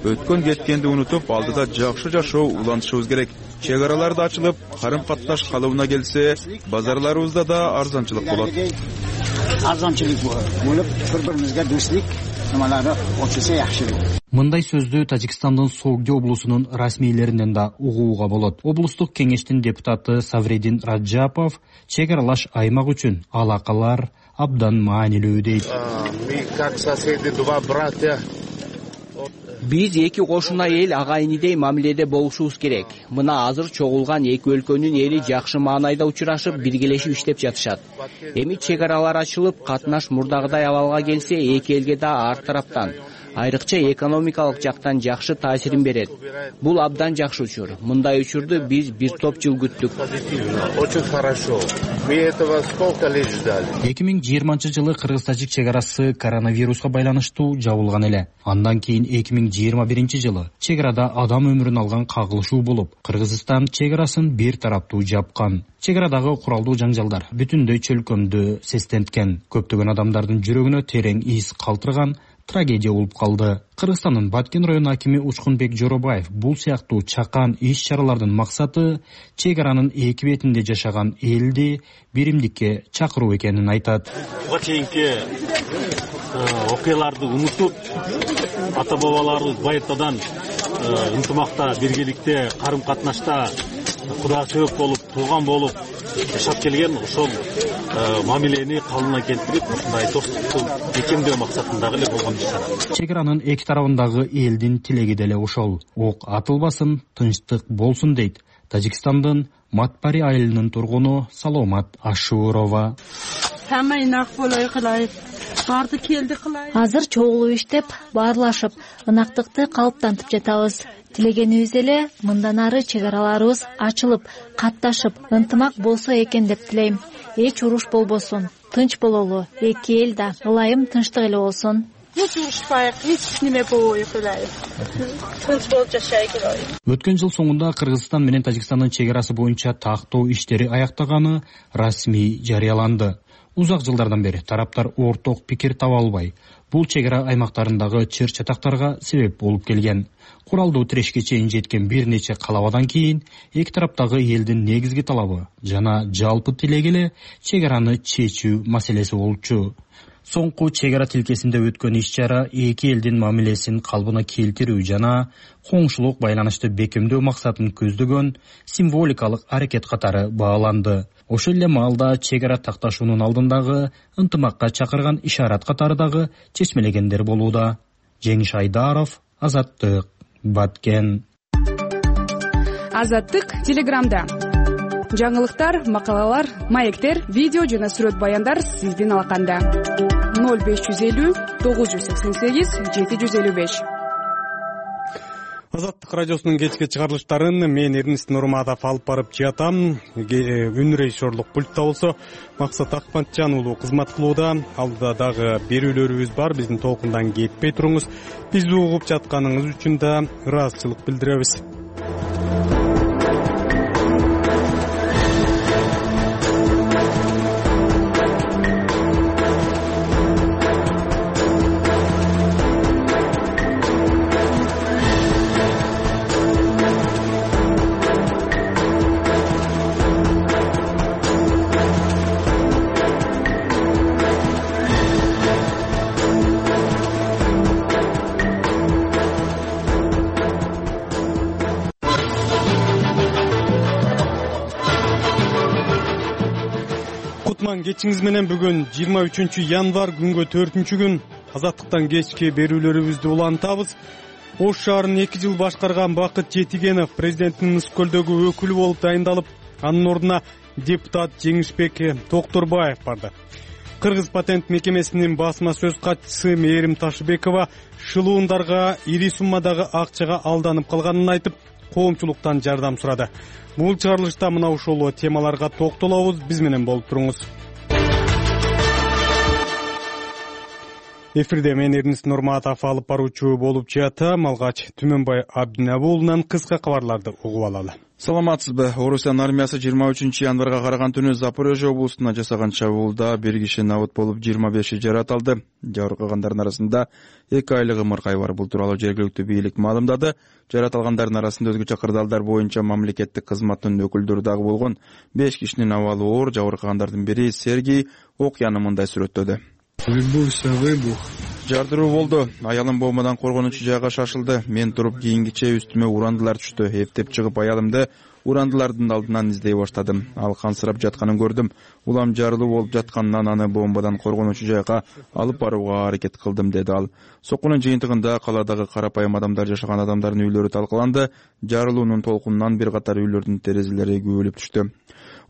[SPEAKER 3] Өткөн кеткенди унутуп, алдыда жакшы жашоо улантышыбыз керек. Чек аралар да ачылып, карым-катташ калыбына келсе, базарларыбызда да арзанчылык болот.
[SPEAKER 23] Арзанчылык болуп, бири-бирибизге достук нерселери очулса жакшы.
[SPEAKER 4] Мындай сөздү Тажикстандын Согди облусунун расмийлеринен да угууга болот. Облустук кеңештин депутаты Савредин Раджапов чек аралаш аймак үчүн алакалар абдан маанилүү дейт.
[SPEAKER 10] Биз эки кошуна эл агайынидей мамиледе болушубуз керек. Мына азыр чогулган эки өлкөнүн эли жакшы маанайда учурашып, биргелешип иштеп жатышат. Эми чек аралар ачылып, катнаш мурдагыдай абалга келсе, эки элге да ар тараптан, айрыкча экономикалык жактан жакшы таасирин берет. Бул абдан жакшы учур. Мындай учурду биз бир топ жыл күттүк.
[SPEAKER 22] Очень хорошо. Мы этого сколько лет ждали.
[SPEAKER 4] эки миң жыйырманчы жылы кыргыз-тажик чек арасы коронавируска байланыштуу жабылган эле. Андан кийин эки миң жыйырма биринчи жылы чек арада адам өмүрүн алган кагылышуу болуп, Кыргызстан чек арасын бир тараптуу жапкан. Чек арадагы куралдуу жаңжалдар бүтүндөй чөлкөмдү сестенткен. Көптөгөн адамдардын жүрөгүнө терең из калтырган трагедия болуп калды. Кыргызстандын Баткен району акими Учкунбек Жоробаев бул сыяктуу чакан иш-чаралардын максаты чек аранын эки бетинде жашаган элди биримдикке чакыруу экенин айтат.
[SPEAKER 22] Буга чейинки окуяларды унутуп, ата-бабаларыбыз байыртадан ынтымакта, биргеликте, карым-катнашта кудашөк болуп, тууган болуп жашап келген. Ошол мамилени калыбына келтирип, ушундай достукту бекемдөө максатындагы эле болгон иш.
[SPEAKER 4] Чек аранын эки тарабындагы элдин тилеги деле ошол. Ок атылбасын, тынчтык болсун дейт Тажикстандын Матпари айылынын тургуну Саломат Ашурова.
[SPEAKER 5] Азыр чогулуп иштеп, баарлашып, ынактыкты калыптантып жатабыз. Тилегенибиз эле мындан ары чек араларыбыз ачылып, катташып, ынтымак болсо экен деп тилейм. Эч уруш болбосун, тынч бололу, эки эл да ылайым тынчтык эле болсун.
[SPEAKER 24] Эч урушпайык, эч неме болбойт эле. Тынч болуп жашайык эле.
[SPEAKER 4] Өткөн жыл соңунда Кыргызстан менен Тажикстандын чек арасы боюнча тактоо иштери аяктаганы расмий жарыяланды. Узак жылдардан бери тараптар орток пикир таба албай, бул чек ара аймактарындагы чыр-чатактарга себеп болуп келген. Куралдуу тирешке чейин жеткен бир нече калабадан кийин эки тараптагы элдин негизги талабы жана жалпы тилеги эле чек араны чечүү маселеси болчу. Соңку чек ара тилкесинде өткөн иш-чара эки элдин мамилесин калыбына келтирүү жана коңшулук байланышты бекемдөө максатын көздөгөн символикалык аракет катары бааланды. Ошол эле маалда чек ара такташуунун алдындагы ынтымакка чакырган ишарат катары дагы чечмелегендер болууда. Жеңиш Айдаров, Азаттык, Баткен.
[SPEAKER 25] Азаттык Телеграмда. Жаңылыктар, макалалар, маектер, видео жана сүрөт баяндар сиздин алаканда. ноль беш жүз элүү тогуз жүз сексен сегиз жети жүз элүү беш.
[SPEAKER 2] Азаттык радиосунун кечки чыгарылыштарын мен Эрнест Нурматов алып барып жатам. Үн режиссерлук пультта болсо Максат Акматжан уулу кызмат кылууда. Алдыда дагы берүүлөрүбүз бар. Биздин толкундан кетпей туруңуз. Бизди угуп жатканыңыз үчүн да ыраазычылык билдиребиз. кутман кечиңиз менен. Бүгүн жыйырма үчүнчү январь, күнгө төртүнчү күн. Азаттыктан кечки берүүлөрүбүздү улантабыз. Ош шаарын эки жыл башкарган Бакыт Жетигенов президенттин Ысык көлдөгү өкүлү болуп дайындалып, анын ордуна депутат Жеңишбек Токторбаев барды. Кыргыз патент мекемесинин басма сөз катчысы Мээрим Ташыбекова шылуундарга ири суммадагы акчага алданып калганын айтып, коомчулуктан жардам сурады. Бул чыгарылышта мына ушул темаларга токтолобуз. Биз менен болуп туруңуз. Эфирде мен Эрнис Нурматов алып баруучу болуп жатам. Алгач Түмөнбай Абдинабы уулунан кыска кабарларды угуп алалы.
[SPEAKER 3] Саламатсызбы? Орусиянын армиясы жыйырма үчүнчү январга караган түнү Запорожье облусуна жасаган чабуулда бир киши набыт болуп, жыйырма беши жаратылды. Жаракалгандардын арасында эки айлык ымыркай бар. Бул тууралуу жергиликтүү бийлик маалымдады. Жаратылгандардын арасында өзгөчө кырдаалдар боюнча мамлекеттик кызматтын өкүлдөрү дагы болгон. беш кишинин абалы оор. Жабыркагандардын бири Сергей окуяны мындай сүрөттөдү. Жардыруу болду. Аялым бомбадан коргонучу жайга шашылды. Мен туруп кийингиче үстүмө урандылар түштү. Эптеп чыгып аялымды урандылардын алдынан издей баштадым. Ал кансырап жатканын көрдүм. Улам жарылуу болуп жатканынан аны бомбадан коргонучу жайга алып барууга аракет кылдым, деди ал. Соккунун жыйынтыгында каладагы карапайым адамдар жашаган адамдардын үйлөрү талкаланды. Жарылуунун толкунунан бир катар үйлөрдүн терезелери күйүлүп түштү.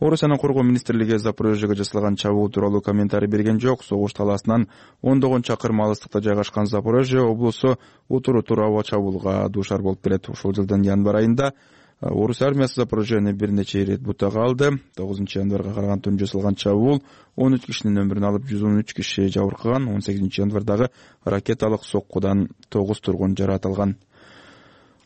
[SPEAKER 3] Орусиянын коргоо министрлиги Запорожьеге жасалган чабуул тууралуу комментарий берген жок. Согуш талаасынан ондогон чакырым алыстыкта жайгашкан Запорожье облусу утуру тура чабуулга дуушар болуп келет. Ушул жылдын январь айында Орусия армиясы Запорожьени бир нече ирет бутага алды. тогузунчу январга караган түнү жасалган чабуул он үч кишинин өмүрүн алып, жүз он үч киши жабыркаган. он сегизинчи январдагы ракеталык соккудан тогуз тургун жаратылган.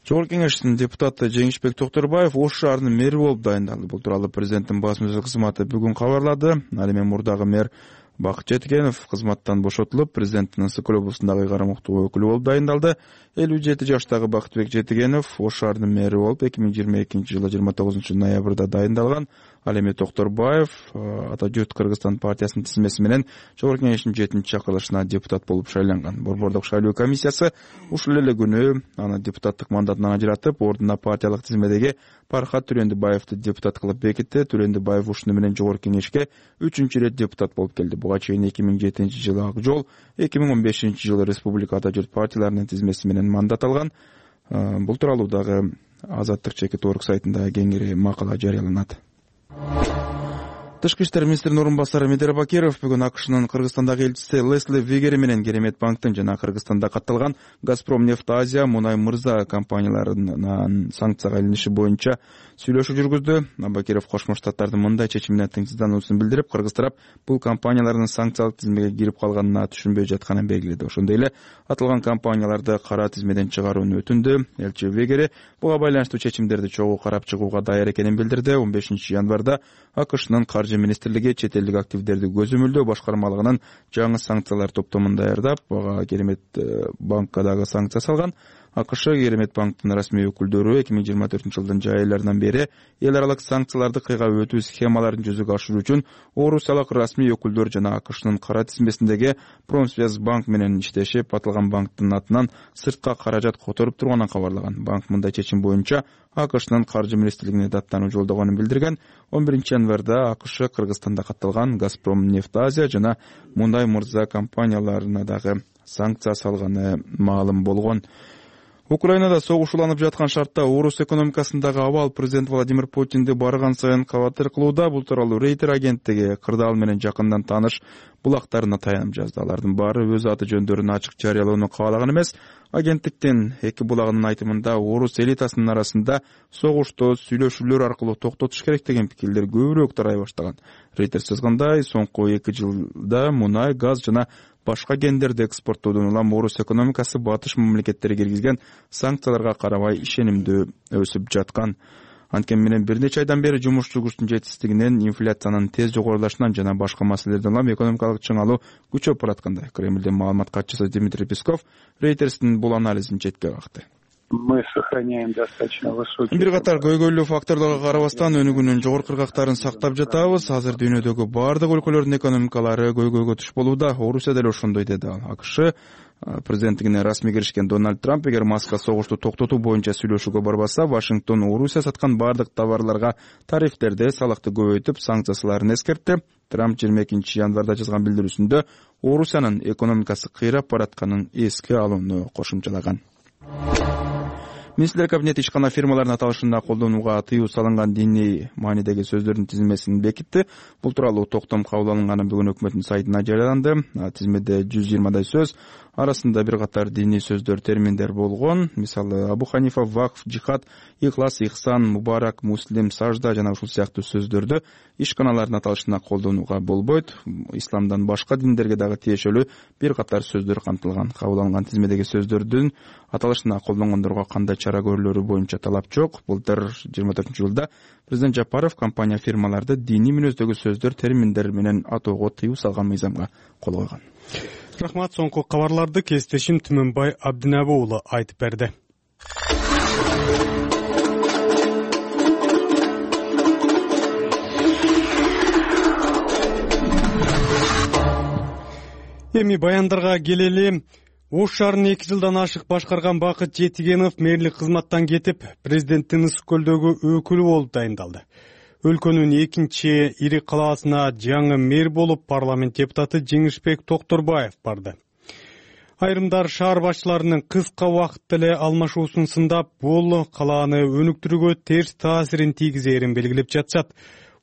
[SPEAKER 3] Жогорку Кеңештин депутаты Жеңишбек Токторбаев Ош шаарынын мэри болуп дайындалды. Бул тууралуу президенттин басма сөз кызматы бүгүн кабарлады. Ал эми мурдагы мэр Бакыт Жетигенов кызматтан бошотулуп, президенттин Ысык көл облусундагы карамуктуу өкүлү болуп дайындалды. элүү жети жаштагы Бакытбек Жетигенов Ош шаарынын мэри болуп эки миң жыйырма экинчи жылы жыйырма тогузунчу ноябрда дайындалган. Ал эми Токторбаев Ата жұрт Кыргызстан партиясынын тизмеси менен Жогорку Кеңештин жетинчи чакырылышына депутат болуп шайланган. Борбордук шайлоо комиссиясы ушул эле күнү аны депутаттык мандатынан ажыратып, ордуна партиялык тизмедеги Пархат Түрөндүбаевди депутат кылып бекитти. Түрөндүбаев ушуну менен Жогорку Кеңешке үчүнчү ирет депутат болуп келди. Буга чейин эки миң жетинчи жылы Ак жол, эки миң он бешинчи жылы Республика Ата жұрт партияларынын тизмеси менен мандат алган. Бул тууралуу дагы Азаттык чекит орг сайтында кеңири макала жарыяланат. Тышкы иштер министринин орун басары Медер Бакиров бүгүн АКШнын Кыргызстандагы элчиси Лесли Вегери менен Керемет банктын жана Кыргызстанда катталган Газпром нефть Азия Мунай Мырза компанияларынын санкцияга илиниши боюнча сүйлөшүү жүргүздү. Бакиров Кошмо Штаттардын мындай чечимине тыңсыздануусун билдирип, Кыргыз тарап бул компаниялардын санкциялык тизмеге кирип калганына түшүнбөй жатканын белгиледи. Ошондой эле аталган компанияларды кара тизмеден чыгарууну өтүндү. Элчи Вегери буга байланыштуу чечимдерди чогуу карап чыгууга даяр экенин билдирди. он бешинчи январда АКШнын министрлиги чет элдик активдерди көзөмөлдөө башкармалыгынын жаңы санкциялар топтомун даярдап, ага Керемет банкка дагы санкция салган. АКШ Керемет банктын расмий өкүлдөрү эки миң жыйырма төртүнчү жылдын жай айларынан бери эл аралык санкцияларды кыйгап өтүү схемаларын жүзөгө ашыруу үчүн орусиялык расмий өкүлдөр жана АКШнын кара тизмесиндеги Промсвязь банк менен иштешип, аталган банктын атынан сыртка каражат которуп турганын кабарлаган. Банк мындай чечим боюнча АКШнын каржы министрлигине даттануу жолдогонун билдирген. он биринчи январда АКШ Кыргызстанда катталган Газпром нефть Азия жана Мунай Мырза компанияларына дагы санкция салганы маалым болгон. Украинада согуш уланып жаткан шартта орус экономикасындагы абал президент Владимир Путинди барган сайын кабатыр кылууда. Бул тууралуу Рейтер агенттиги кырдаал менен жакындан тааныш булактарына таянып жазды. Алардын баары өз аты жөндөрүн ачык жарыялоону каалаган эмес. Агенттиктин эки булагынын айтымында орус элитасынын арасында согушту сүйлөшүүлөр аркылуу токтотуш керек деген пикирлер көбүрөөк тарай баштаган. Рейтер жазгандай, соңку эки жылда мунай, газ жана башка гендерди экспорттоодон улам орус экономикасы батыш мамлекеттери киргизген санкцияларга карабай ишенимдүү өсүп жаткан. Анткени менен бир нече айдан бери жумушчу күчтүн жетишсиздигинен, инфляциянын тез жогорулашынан жана башка маселелерден улам экономикалык чыңалуу күчөп бараткандай. Кремлдин маалымат катчысы Дмитрий Песков Рейтерстин бул анализин четке какты.
[SPEAKER 6] Мы сохраняем достаточно высокий.
[SPEAKER 3] Бир катар көйгөйлүү факторлорго карабастан өнүгүүнүн жогорку ыргактарын сактап жатабыз. Азыр дүйнөдөгү бардык өлкөлөрдүн экономикалары көйгөйгө туш болууда. Орусия деле ошондой, деди ал. АКШ президенттигине расмий киришкен Дональд Трамп эгер Маска согушту токтотуу боюнча сүйлөшүүгө барбаса, Вашингтон Орусия саткан бардык товарларга тарифтерди, салыкты көбөйтүп, санкцияларын эскертти. Трамп жыйырма экинчи январда жазган билдирүүсүндө Орусиянын экономикасы кыйрап баратканын эске алууну кошумчалаган. Министрлер кабинети ишкана фирмалардын аталышында колдонууга тыюу салынган диний маанидеги сөздөрдүн тизмесин бекитти. Бул тууралуу токтом кабыл алынганы бүгүн өкмөттүн сайтына жарыяланды. Тизмеде жүз жыйырмадай сөз, арасында бир катар диний сөздөр, терминдер болгон. Мисалы, Абу Ханифа, вакф, жихад, ихлас, ихсан, мубарак, муслим, сажда жана ушул сыяктуу сөздөрдү ишканалардын аталышында колдонууга болбойт. Исламдан башка диндерге дагы тиешелүү бир катар сөздөр камтылган. Кабыл алынган тизмедеги сөздөрдүн аталышында колдонгондорго кандай чара көрүлөрү боюнча талап жок. Былтыр жыйырма төртүнчү жылда президент Жапаров компания фирмаларды диний мүнөздөгү сөздөр, терминдер менен атоого тыюу салган мыйзамга кол койгон.
[SPEAKER 2] Рахмат. Соңку кабарларды кесиптешим Түмөнбай Абдинабы уулу айтып берди. Эми баяндарга келели. Ош шаарын эки жылдан ашык башкарган Бакыт Жетигенов мэрлик кызматтан кетип, президенттин Ысык көлдөгү өкүлү болуп дайындалды. Өлкөнүн экинчи ири калаасына жаңы мэр болуп парламент депутаты Жеңишбек Токторбаев барды. Айрымдар шаар башчыларынын кыска убакытта эле алмашуусун сындап, бул калааны өнүктүрүүгө терс таасирин тийгизээрин белгилеп жатышат.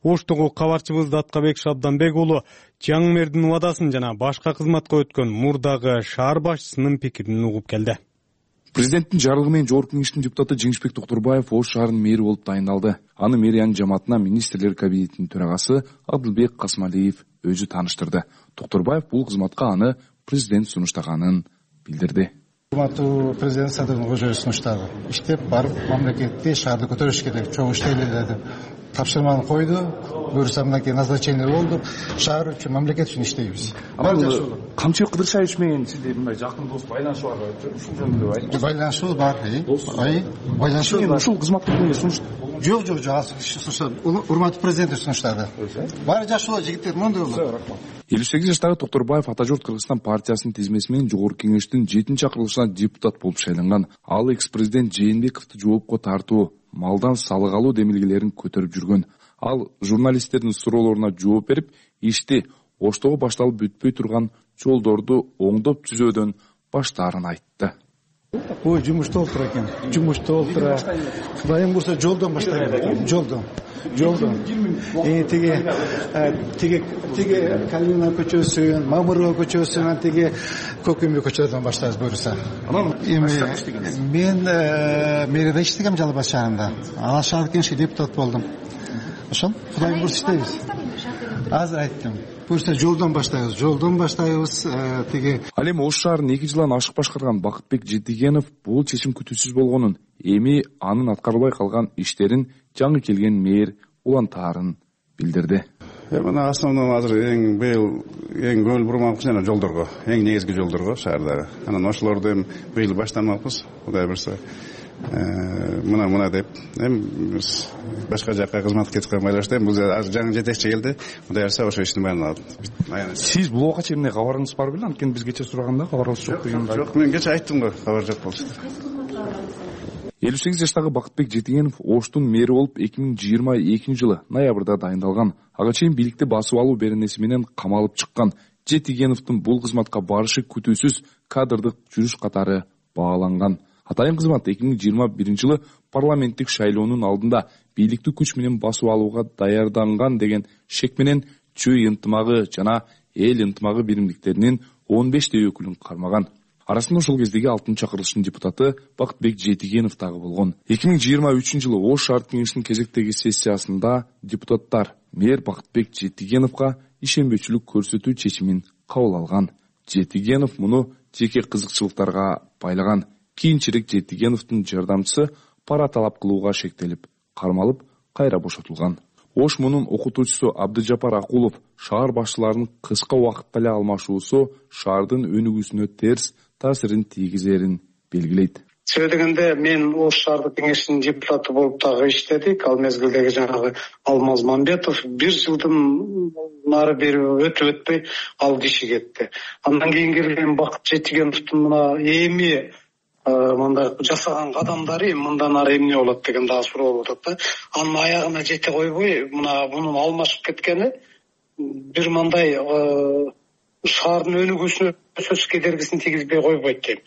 [SPEAKER 2] Оштогу кабарчыбыз Даткабек Шабданбек уулу жаңы мэрдин убадасын жана башка кызматка өткөн мурдагы шаар башчысынын пикирин угуп келди.
[SPEAKER 7] Президенттин жарлыгы менен Жогорку Кеңештин депутаты Жеңишбек Токторбаев Ош шаарынын мэри болуп дайындалды. Аны мэриянын жамаатына министрлер кабинетинин төрагасы Адылбек Касмалиев өзү тааныштырды. Токторбаев бул кызматка аны президент сунуштаганын билдирди.
[SPEAKER 8] Урматтуу президент Садыр Кожоев сунуштады. Иштеп барып мамлекетти шаарды көтөрүш керек, чоң иштейли деп тапшырманы койду. Буюрса мынакей назначение болду. Шаар үчүн, мамлекет үчүн иштейбиз.
[SPEAKER 9] Камчыбек Кыдыршаевич менен сизде мындай жакын дос байланышы бар беле? Ушул жөнүндө айтыңыз.
[SPEAKER 8] Байланышыбыз бар. Ай, байланышыбыз ушул кызматты сунуш. Жок, жок, жок. Урматтуу президент сунуштады. Баары жакшы болот, жигиттер, мондой болот.
[SPEAKER 7] элүү сегиз жаштагы Токторбаев Ата журт Кыргызстан партиясынын тизмеси менен Жогорку Кеңештин жетинчи чакырылышына депутат болуп шайланган. Ал экс-президент Жээнбековду жоопко тартуу, малдан салык алуу демилгелерин көтөрүп жүргөн. Ал журналисттердин суроолоруна жооп берип, ишти Оштогу башталып бүтпөй турган жолдорду оңдоп түзөөдөн баштаарын айтты.
[SPEAKER 8] Ой, жумушта отура экен. Жумушта отура. Кудайым бурса жолдон баштайт экен. Жолдон. Жолдон. Э тиги тиги тиги Калина көчөсүн, Мамырова көчөсүн, тиги Көкөмбө көчөдөн баштайбыз буюрса. Эми мен мэрияда иштегем Жалал Абад шаарында. Ал шаар кеңешке депутат болдум. Ошол Кудайым бурса иштейбиз. Азыр айттым. Буюрса жолдон баштайбыз, жолдон баштайбыз. Тиги
[SPEAKER 7] Ал эми Ош шаарын эки жылдан ашык башкарган Бакытбек Жетигенов бул чечим күтүүсүз болгонун, эми анын аткарылбай калган иштерин жаңы келген мэр улантаарын билдирди.
[SPEAKER 9] Мына основной азыр эң быйыл эң көңүл бурмакпыз жана жолдорго, эң негизги жолдорго шаардагы. Анан ошолорду эми быйыл баштамакпыз, Кудай бурса. Мына мына деп эми башка жакка кызматка кеткенге байланыштуу бул азыр жаңы жетекчи келди. Кудай бурса ошо иштин баарын алат.
[SPEAKER 7] Сиз бул убакка чейин кабарыңыз бар беле? Анткени биз кече сураганда кабарыбыз жок деген.
[SPEAKER 9] Жок, мен кече айттым го, кабар жок болчу.
[SPEAKER 7] элүү сегиз жаштагы Бакытбек Жетигенов Оштун мэри болуп эки миң жыйырма экинчи жылы ноябрда дайындалган. Ага чейин бийликти басып алуу беренеси менен камалып чыккан Жетигеновдун бул кызматка барышы күтүүсүз кадрдык жүрүш катары бааланган. Атайын кызмат эки миң жыйырма биринчи жылы парламенттик шайлоонун алдында бийликти күч менен басып алууга даярданган деген шек менен чүй ынтымагы жана эл ынтымагы биримдиктеринин он бештей өкүлүн кармаган. Арасында ошол кездеги алтынчы чакырылыштын депутаты Бакытбек Жетигенов дагы болгон. эки миң жыйырма үчүнчү жылы Ош шаар кеңешинин кезектеги сессиясында депутаттар мэр Бакытбек Жетигеновго ишенбөөчүлүк көрсөтүү чечимин кабыл алган. Жетигенов муну жеке кызыкчылыктарга байлаган. Кийинчерээк Жетигеновдун жардамчысы пара талап кылууга шектелип, кармалып, кайра бошотулган. Ош мунун окутуучусу Абдыжапар Акулов шаар башчыларынын кыска убакытта эле алмашуусу шаардын өнүгүүсүнө терс таасирин тийгизерин белгилейт.
[SPEAKER 1] себеби дегенде мен Ош шаардык кеңешинин депутаты болуп дагы иштедик. Ал мезгилдеги жанагы Алмаз Мамбетов бир жылдын нары бери өтүп өтпөй ал киши кетти. Андан кийин келген Бакыт Жетигеновдун мына эми мындай жасаган кадамдары мындан ары эмне болот деген дагы суроо болуп атат да. Анын аягына жете койбой, мына мунун алмашып кеткени бир мындай шаардын өнүгүүсүнө сөзсүз кедергисин тийгизбей койбойт дейм.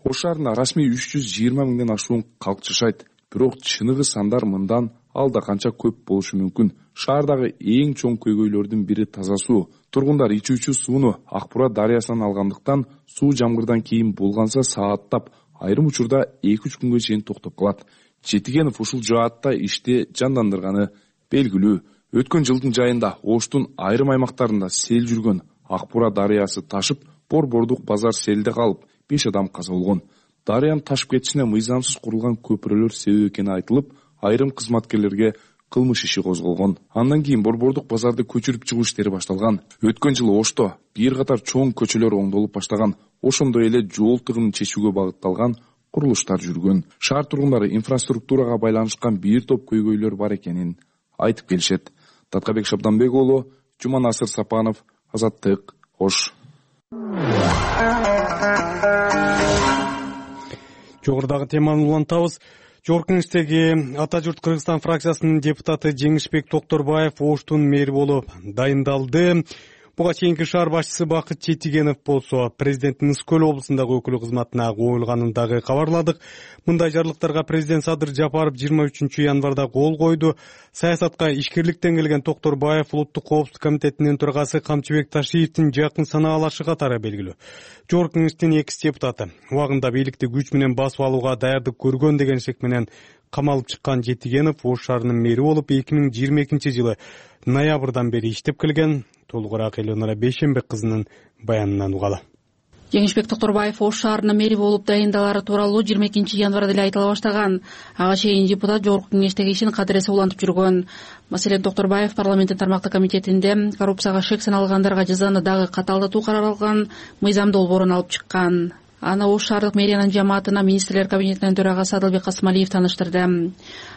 [SPEAKER 7] Ош шаарында расмий үч жүз жыйырма миңден ашуун калк жашайт. Бирок чыныгы сандар мындан алда канча көп болушу мүмкүн. Шаардагы эң чоң көйгөйлөрдүн бири таза суу. Тургундар ичүүчү сууну Акбура дарыясынан алгандыктан суу жамгырдан кийин булганса сааттап, айрым учурда эки үч күнгө чейин токтоп калат. Жетигенов ушул жаатта ишти жандандырганы белгилүү. Өткөн жылдын жайында Оштун айрым аймактарында сел жүргөн. Акбура дарыясы ташып, Борбордук базар селде калып, беш адам каза болгон. Дарыянын ташып кетишине мыйзамсыз курулган көпүрөлөр себеп экени айтылып, айрым кызматкерлерге кылмыш иши козголгон. Андан кийин Борбордук базарды көчүрүп чыгуу иштери башталган. Өткөн жылы Ошто бир катар чоң көчөлөр оңдолуп баштаган. Ошондой эле жол тыгынын чечүүгө багытталган курулуштар жүргөн. Шаар тургундары инфраструктурага байланышкан бир топ көйгөйлөр бар экенин айтып келишет. Таткабек Шабданбек уулу, Жуманасыр Сапанов, Азаттык, Ош.
[SPEAKER 2] Жогорудагы теманы улантабыз. Жогорку Кеңештеги Ата журт Кыргызстан фракциясынын депутаты Жеңишбек Токторбаев Оштун мэри болуп дайындалды. Буга чейинки шаар башчысы Бакыт Жетигенов болсо президенттин Ысык Көл облусундагы өкүлү кызматына коюлганын дагы кабарладык. Мындай жарлыктарга президент Садыр Жапаров жыйырма үчүнчү январда кол койду. Саясатка ишкерликтен келген Токторбаев Улуттук коопсуздук комитетинин төрагасы Камчыбек Ташиевдин жакын санаалашы катары белгилүү. Жогорку Кеңештин экс депутаты убагында бийликти күч менен басып алууга даярдык көргөн деген шек менен камалып чыккан Жетигенов Ош шаарынын мэри болуп эки миң жыйырма экинчи жылы ноябрдан бери иштеп келген. Толугураак Элеонора Бейшенбек кызынын баянынан угалы.
[SPEAKER 11] Жеңишбек Токторбаев Ош шаарынын мэри болуп дайындалары тууралуу жыйырма экинчи январда эле айтыла баштаган. Ага чейин депутат Жогорку Кеңештеги ишин кадыресе улантып жүргөн. Маселен, Токторбаев парламенттин тармактык комитетинде коррупцияга шек саналгандарга жазаны дагы катаалдатуу каралган мыйзам долбоорун алып чыккан. Аны Ош шаардык мэриянын жамаатына министрлер кабинетинин төрагасы Адылбек Касымалиев таныштырды.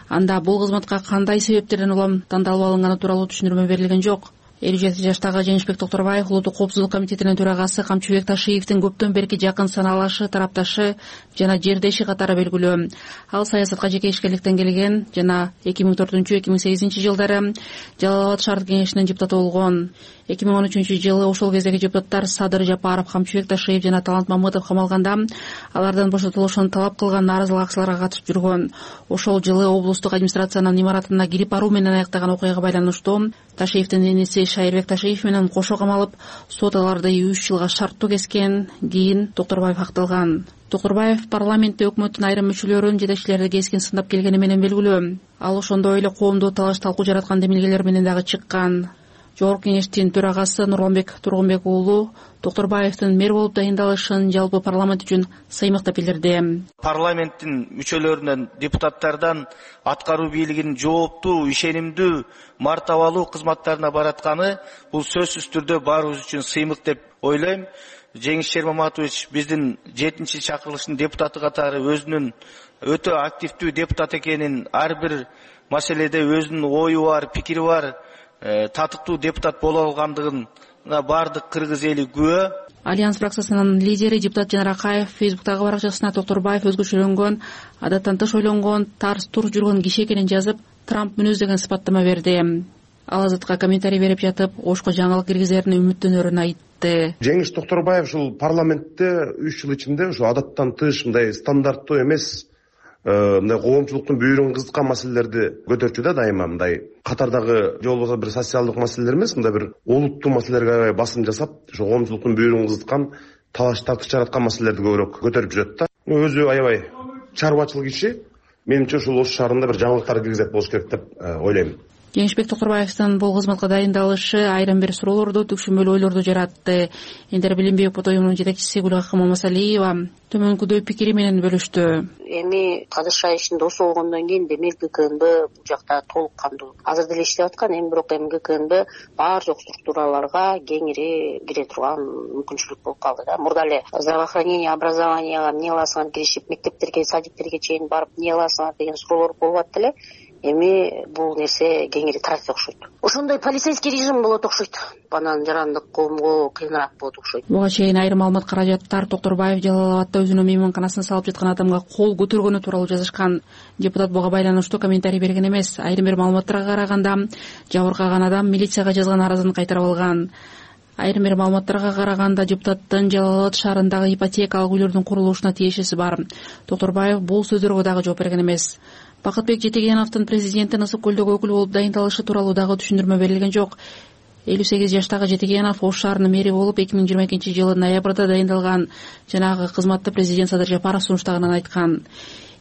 [SPEAKER 11] Анда бул кызматка кандай себептерден улам тандалып алынганы тууралуу түшүндүрмө берилген жок. элүү жети жаштагы Жеңишбек Токторбаев Улуттук коопсуздук комитетинин төрагасы Камчыбек Ташиевдин көптөн берки жакын санаалашы, тарапташы жана жердеши катары белгилүү. Ал саясатка жеке ишкерликтен келген жана эки миң төртүнчү эки миң сегизинчи жылдары Жалал Абад шаардык кеңешинин депутаты болгон. эки миң он үчүнчү жылы ошол кездеги депутаттар Садыр Жапаров, Камчыбек Ташиев жана Талант Мамытов камалганда алардан бошотулушун талап кылган нааразылык акцияларга катышып жүргөн. Ошол жылы облустук администрациянын имаратына кирип баруу менен аяктаган окуяга байланыштуу Ташиевдин эниси Шайырбек Ташиев менен кошо камалып, сот аларды үч жылга шарттуу кескен. Кийин Токторбаев акталган. Токторбаев парламентте өкмөттүн айрым мүчөлөрүн, жетекчилерди кескин сындап келгени менен белгилүү. Ал ошондой эле коомдо талаш талкуу жараткан демилгелер менен дагы чыккан. Жогорку Кеңештин төрагасы Нурланбек Тургунбек уулу Токторбаевдин мэр болуп дайындалышын жалпы парламент үчүн сыймыктап билдирди.
[SPEAKER 12] Парламенттин мүчөлөрүнөн, депутаттардан аткаруу бийлигинин жооптуу, ишенимдүү, мартабалуу кызматтарына баратканы бул сөзсүз түрдө баарыбыз үчүн сыймык деп ойлойм. Жеңиш Шермаматович биздин жетинчи чакырылыштын депутаты катары өзүнүн өтө активдүү депутат экенин, ар бир маселеде өзүнүн ою бар, пикири бар, татыктуу депутат боло алгандыгын баардык кыргыз эли күбө.
[SPEAKER 11] Альянс фракциясынын лидери депутат Жанар Акаев Фейсбуктагы баракчасына Токторбаев өзгөчөлөнгөн, адаттан тыш ойлонгон, тарс тур жүргөн киши экенин жазып, Трамп мүнөз деген сыпаттама берди. Ал Азатка комментарий берип жатып, Ошко жаңылык киргизерин үмүттөнөрүн айтты.
[SPEAKER 14] Жеңиш Токторбаев ушул парламентте үч жыл ичинде ушу адаттан тыш, мындай стандарттуу эмес, мындай коомчулуктун бүйүрүн кызыткан маселелерди көтөрчү да дайыма. Мындай катардагы же болбосо бир социалдык маселелер эмес, мындай бир олуттуу маселелерге басым жасап, ошо коомчулуктун бүйүрүн кызыткан, талаш тартыш жараткан маселелерди көбүрөөк көтөрүп жүрөт да. Өзү аябай чарбачыл киши. Менимче ушул Ош шаарында бир жаңылыктар киргизет болуш керек деп ойлойм.
[SPEAKER 11] Кеңешбек Токторбаевдин бул кызматка дайындалышы айрым бир суроолорду, түшүнбөлүү ойлорду жаратты. Эндер Билим берүү уюмунун жетекчиси Гүлакым Мамасалиева төмөнкүдөй пикири менен бөлүштү.
[SPEAKER 13] Эми Кадышай ишин досу болгондон кийин демек ГКНБ бул жакта толук кандуу азыр деле иштеп аткан. Эми бирок эми ГКНБ баар жок структураларга кеңири кире турган мүмкүнчүлүк болуп калды да. Мурда эле здравоохранение, образованияга эмне кыласыңар киришип, мектептерге, садиктерге чейин барып эмне кыласыңар деген суроолор болуп атты эле. Эми бул нерсе кеңири тарайт окшойт. Ошондой полицейский режим болот окшойт. Банан жарандык коомго кыйыныраак болот окшойт.
[SPEAKER 11] Буга чейин айрым маалымат каражаттар Токторбаев Жалал Абадта өзүнүн мейманканасына салып жаткан адамга кол көтөргөнү тууралуу жазышкан. Депутат буга байланыштуу комментарий берген эмес. Айрым бир маалыматтарга караганда жабыркаган адам милицияга жазган арызын кайтарып алган. Айрым бир маалыматтарга караганда депутаттын Жалал Абад шаарындагы ипотекалык үйлөрдүн курулушуна тиешеси бар. Токторбаев бул сөздөргө дагы жооп берген эмес. Бакытбек Жетегеновдун президенттин Ысык көлдөгү өкүл болуп дайындалышы тууралуу дагы түшүндүрмө берилген жок. элүү сегиз жаштагы Жетегенов Ош шаарынын мэри болуп эки миң жыйырма экинчи жылы ноябрда дайындалган. Жанагы кызматты президент Садыр Жапаров сунуштаганын айткан.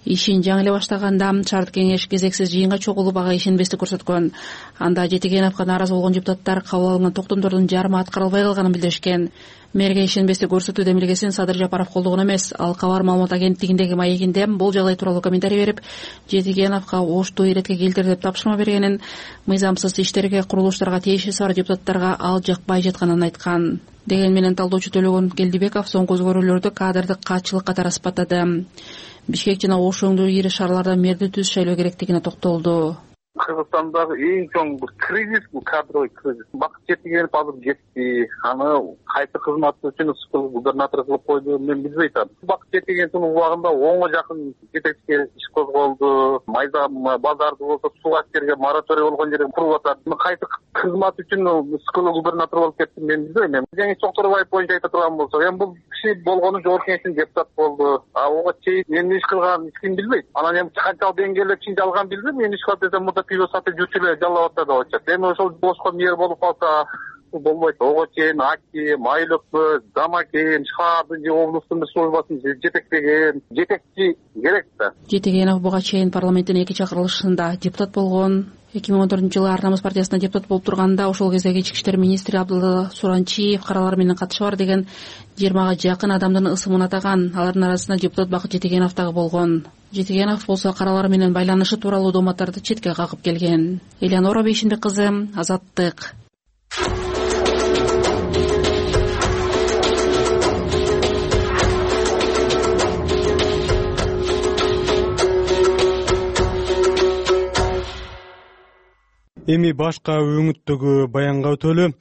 [SPEAKER 11] Ишин жаңы эле баштаганда шаардык кеңеш кезексиз жыйынга чогулуп ага ишенбестик көрсөткөн. Анда Жетегеновго нааразы болгон депутаттар кабыл алынган токтомдордун жарымы аткарылбай калганын билдиришкен. Мэрге ишенбестик көрсөтүү демилгесин Садыр Жапаров колдогон эмес. Ал Кабар маалымат агенттигиндеги маегинде бул жагдай тууралуу комментарий берип, Жетегеновго Ошту иретке келтир деп тапшырма бергенин, мыйзамсыз иштерге, курулуштарга тиешеси бар депутаттарга ал жакпай жатканын айткан. Деген менен талдоочу Төлөгөн Келдибеков соңку өзгөрүүлөрдү кадрдык каатчылык катары сыпаттады. Бишкек жана Ош өңдүү ири шаарларда мэрди түз шайлоо керектигине токтолду.
[SPEAKER 15] Кыргызстандагы эң чоң бир кризис бул кадровый кризис. Бакыт Жетегенов азыр кетти. Аны кайсы кызмат үчүн Ысык губернатор кылып койду, мен билбей атам. Бакыт Жетегеновдун убагында онго жакын жетекчи иш козголду. Майда базарды болсо суу астерге мораторий болгон жерде куруп атат. Кайсы кызмат үчүн Ысык губернатор болуп кетти, мен билбейм. Жаңы Токторбаев боюнча айта турган болсок, эми бул киши болгону жогорку кеңештин депутат болду. А ого чейин эмне иш кылган эч ким билбейт. Анан эми канчалык деңгээлде чын жалган билбейм. Мен иш кылып десем мурда пиво сатып жүрчү эле Жалал Абадта да болчу. Эми ошол бошко мэр болуп калса болбойт. Ого чейин Аки, Майлыкбыз, Замакен, шаардын же облустун службасын жетектеген жетекчи керек да.
[SPEAKER 11] Жетегенов буга чейин парламенттин эки чакырылышында депутат болгон. эки миң он төртүнчү жылы Ар намыс партиясына депутат болуп турганда ошол кездеги ички иштер министри Абдулла Суранчиев каралар менен катышы бар деген жыйырмага жакын адамдын ысымын атаган. Алардын арасында депутат Бакыт Жетегенов дагы болгон. Жетегенов болсо каралар менен байланышы тууралуу дооматтарды четке какып келген. Элеонора Бейшинбек кызы, Азаттык.
[SPEAKER 2] Эми башка өңүттөгү баянга өтөлү.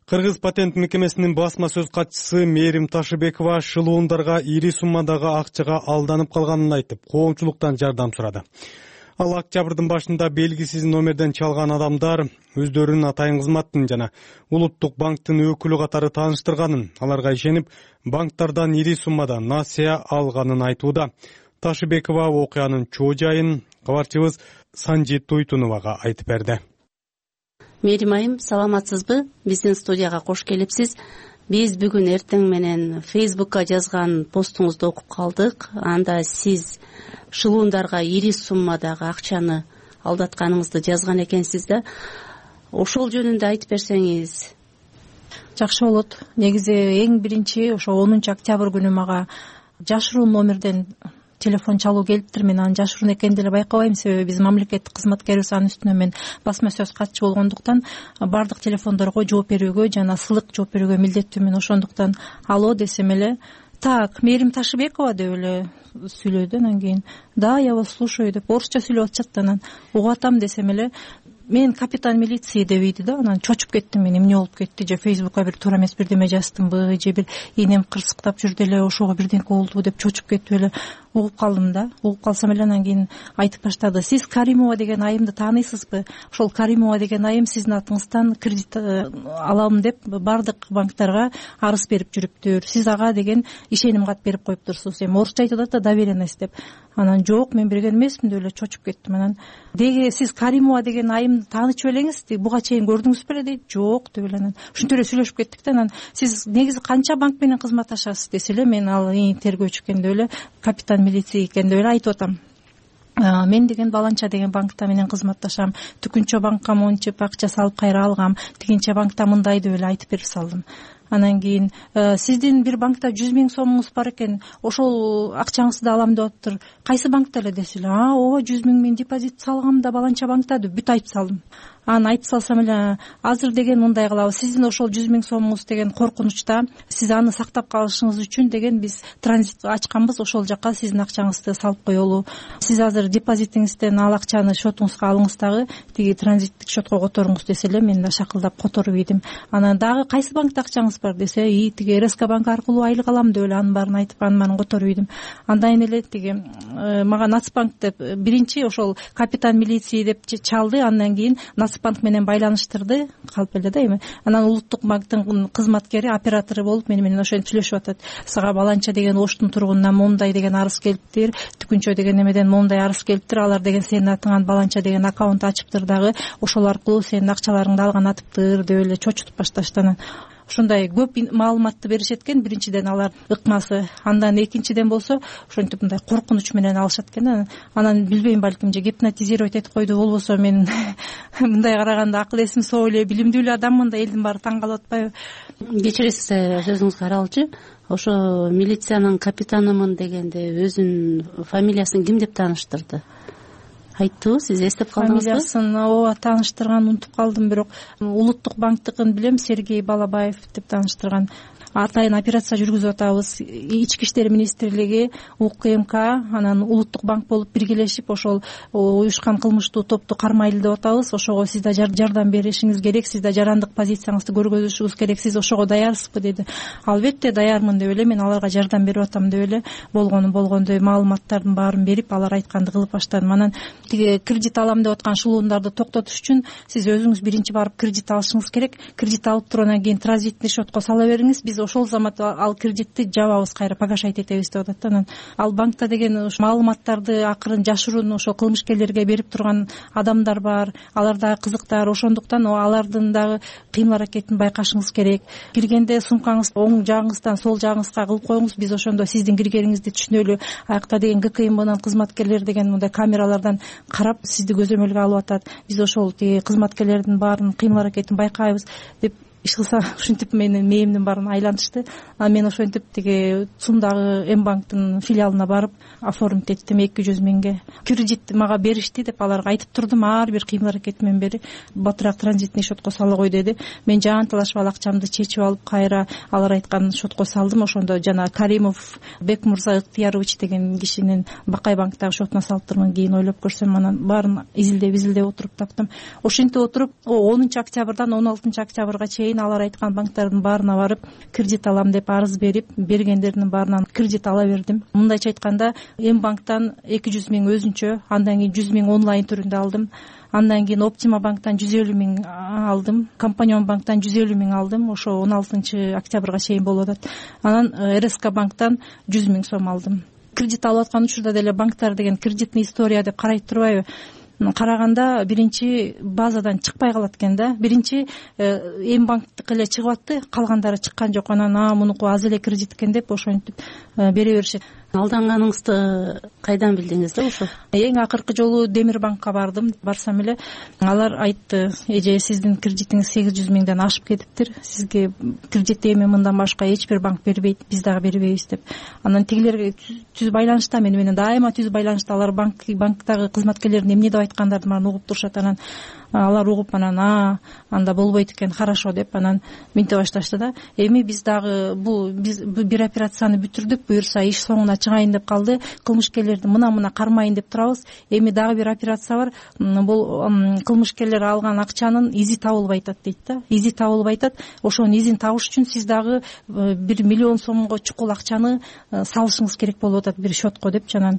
[SPEAKER 2] Кыргыз патент мекемесинин басма сөз катчысы Мээрим Ташыбекова шылуундарга ири суммадагы акчага алданып калганын айтып, коомчулуктан жардам сурады. Ал октябрдын башында белгисиз номерден чалган адамдар өздөрүнүн атайын кызматтын жана улуттук банктын өкүлү катары тааныштырганын, аларга ишенип, банктардан ири суммада насыя алганын айтууда. Ташыбекова окуянын чоо жайын кабарчыбыз Санжит Туйтуновага айтып берди.
[SPEAKER 16] Мээрим айым, саламатсызбы? Биздин студияга кош келипсиз. Биз бүгүн эртең менен Фейсбукка жазган постуңузду окуп калдык. Анда сиз шылуундарга ири суммадагы акчаны алдатканыңызды жазган экенсиз да. Ошол жөнүндө айтып берсеңиз.
[SPEAKER 18] Жакшы болот. Негизи эң биринчи ошо онунчу октябрь күнү мага жашыруун номерден телефон чалуу келиптир. Мен анын жашыруун экенин деле байкабайм, себеби биз мамлекеттик кызматкербиз. Анын үстүнө мен басма сөз катчы болгондуктан бардык телефондорго жооп берүүгө жана сылык жооп берүүгө милдеттүүмүн. Ошондуктан алло десем эле, так, Мээрим Ташыбекова деп эле сүйлөдү. Анан кийин да, я вас слушаю деп орусча сүйлөп атышат. Анан угуп атам десем эле, мен капитан милиции деп ийди да. Анан чочуп кеттим мен, эмне болуп кетти, же Фейсбукка бир туура эмес бирдеме жаздымбы, же бир энем кырсыктап жүрдү эле, ошого бирдеңке болду деп чочуп кетип эле угуп калдым да. Угуп калсам эле анан кийин айтып баштады. Сиз Каримова деген айымды тааныйсызбы? Ошол Каримова деген айым сиздин атыңыздан кредит алам деп бардык банктарга арыз берип жүрүптүр. Сиз ага деген ишеним кат берип коюптурсуз. Эми орусча айтып атат да, доверенность деп. Анан жок, мен берген эмесмин деп эле чочуп кеттим. Анан деги сиз Каримова деген айымды таанычып элеңиз, буга чейин көрдүңүз беле дейт. Жок деп эле анан ушинтип эле сүйлөшүп кеттик да. Анан сиз негизи канча банк менен кызматташасыз десе эле, мен ал тергөөчү экен деп эле, капитан милиция экен деп эле айтып атам. мен деген баланча деген банкта менен кызматташам, Түкүнчө банкка мончуп акча салып кайра алгам, тигинче банкта мындай деп эле айтып берип салдым. Анан кийин сиздин бир банкта жүз миң сомуңуз бар экен, ошол акчаңызды алам деп атыптыр, кайсы банкта эле десе эле, а ооба жүз миң мен депозит салгам да баланча банкта деп бүт айтып салдым. Анан айтып салсам эле, азыр деген мындай кылабыз, сиздин ошол жүз миң сомуңуз деген коркунучта, сиз аны сактап калышыңыз үчүн деген биз транзит ачканбыз, ошол жака сиздин акчаңызды салып коелу. Сиз азыр депозитиңизден ал акчаны счетуңузга алыңыз дагы тиги транзиттик счетко которуңуз десе эле, мен да шакылдап которуп ийдим. Анан дагы кайсы банкта акчаңыз бар десе, и тиги эр эс ка банк аркылуу айлык алам деп эле анын баарын айтып, анын баарын которуп ийдим. Андан эле тиги мага Нацбанк деп биринчи ошол капитан милиции деп чалды, андан кийин Нацбанк менен байланыштырды, калп эле да эми. Анан Улуттук банктын кызматкери, оператору болуп мени менен ошентип сүйлөшүп атат. Сага баланча деген Оштун тургунунан мондай деген арыз келиптир, Түкүнчө деген эмеден мондай арыз келиптир, алар деген сенин атыңан баланча деген аккаунт ачыптыр дагы, ошол аркылуу сенин акчаларыңды алган атыптыр деп эле чочутуп башташты. Анан ушундай көп маалыматты беришет экен. Биринчиден алар ыкмасы, андан экинчиден болсо ошентип мындай коркунуч менен алышат экен. Анан билбейм, балким же гипнотизировать этип койду, болбосо мен мындай караганда акыл эсим соо эле, билимдүү эле адаммын да, элдин баары таң калып атпайбы?
[SPEAKER 16] Кечиресиз, сөзүңүзгө аралчы. Ошо милициянын капитанымын дегенде өзүнүн фамилиясын ким деп тааныштырды? Айттыбы, сиз эстеп калдыңызбы?
[SPEAKER 18] Фамилиясын ооба тааныштырган, унутуп калдым, бирок Улуттук банктыкын билем, Сергей Балабаев деп тааныштырган. Атайын операция жүргүзүп атабыз. Ички иштер министрлиги, У К М К, анан Улуттук банк болуп биргелешип ошол уюшкан кылмыштуу топту кармайлы деп атабыз. Ошого сиз да жардам беришиңиз керек, сиз да жарандык позицияңызды көргөзүшүңүз керек, сиз ошого даярсызбы деди. Албетте даярмын деп эле, мен аларга жардам берип атам деп эле болгону болгондой маалыматтардын баарын берип, алар айтканды кылып баштадым. Анан тиги кредит алам деп аткан шылуундарды токтотуш үчүн сиз өзүңүз биринчи барып кредит алышыңыз керек. Кредит алып туруп анан кийин транзитный счетко сала бериңиз, биз ошол замат ал кредитти жабабыз, кайра погашать этебиз деп атат. Анан ал банкта деген ушу маалыматтарды акырын жашыруун ошо кылмышкерлерге берип турган адамдар бар, алар дагы кызыктар, ошондуктан алардын дагы кыймыл аракетин байкашыңыз керек. Киргенде сумкаңызды оң жагыңыздан сол жагыңызга кылып коюңуз, биз ошондо сиздин киргениңизди түшүнөлү. Аякта деген Г К М Бнын кызматкерлери деген мындай камералардан карап сизди көзөмөлгө алып атат. Биз ошол тиги кызматкерлердин баарын кыймыл аракетин байкайбыз деп иш кылса, ушинтип менин мээримдин баарын айлантышты. Анан мен ошентип тиги Цумдагы М банктын филиалына барып оформить эттим эки жүз миңге. Кредит мага беришти деп аларга айтып турдум, ар бир кыймыл аракетимен бери батыраак транзитный счетко сала кой деди. Мен жаанталашып ал акчамды чечип алып, кайра алар айткан счетко салдым. Ошондо жана Каримов Бекмурза Ыктыярович деген кишинин Бакай банктагы счетуна салыптырмын. Кийин ойлоп көрсөм, анан баарын изилдеп изилдеп отуруп таптым. Ошентип отуруп онунчу октябрдан он алтынчы октябрга чейин алар айткан банктардын баарына барып кредит алам деп арыз берип, бергендердин баарынан кредит ала бердим. Мындайча айтканда, М банктан эки жүз миң өзүнчө, андан кийин жүз миң онлайн түрүндө алдым. Андан кийин Оптима банктан жүз элүү миң алдым, Компаньон банктан жүз элүү миң алдым. Ошо он алтынчы октябрга чейин болуп атат. Анан Р С К банктан жүз миң сом алдым. Кредит алып аткан учурда деле банктар деген кредитный история деп карайт турбайбы? Караганда биринчи базадан чыкпай калат экен да. Биринчи М банктыкы эле чыгып атты, калгандары чыккан жок. Анан а мунуку аз эле кредит экен деп ошентип бере беришет.
[SPEAKER 16] Алданганыңызды кайдан билдиңиз да ошо?
[SPEAKER 18] Эң акыркы жолу Демир банкка бардым. Барсам эле алар айтты, эже сиздин кредитиңиз сегиз жүз миңден ашып кетиптир. Сизге кредит эми мындан башка эч бир банк бербейт, биз дагы бербейбиз деп. Анан тигилер түз байланышта, мени менен дайыма түз байланышта. Алар банк банктагы кызматкерлердин эмне деп айткандардын баарын угуп турушат. Анан алар угуп, анан а анда болбойт экен, хорошо деп анан минте башташты да. Эми биз дагы бул биз бир операцияны бүтүрдүк, буюрса иш соңуна чыгайын деп калды. Кылмышкерлерди мына-мына кармайын деп турабыз. Эми дагы бир операция бар. Бул кылмышкерлер алган акчанын изи табылбай атат дейт да. Изи табылбай атат. Ошонун изин табыш үчүн сиз дагы бир миллион сомго чукул акчаны салышыңыз керек болуп атат бир счетко деп. Анан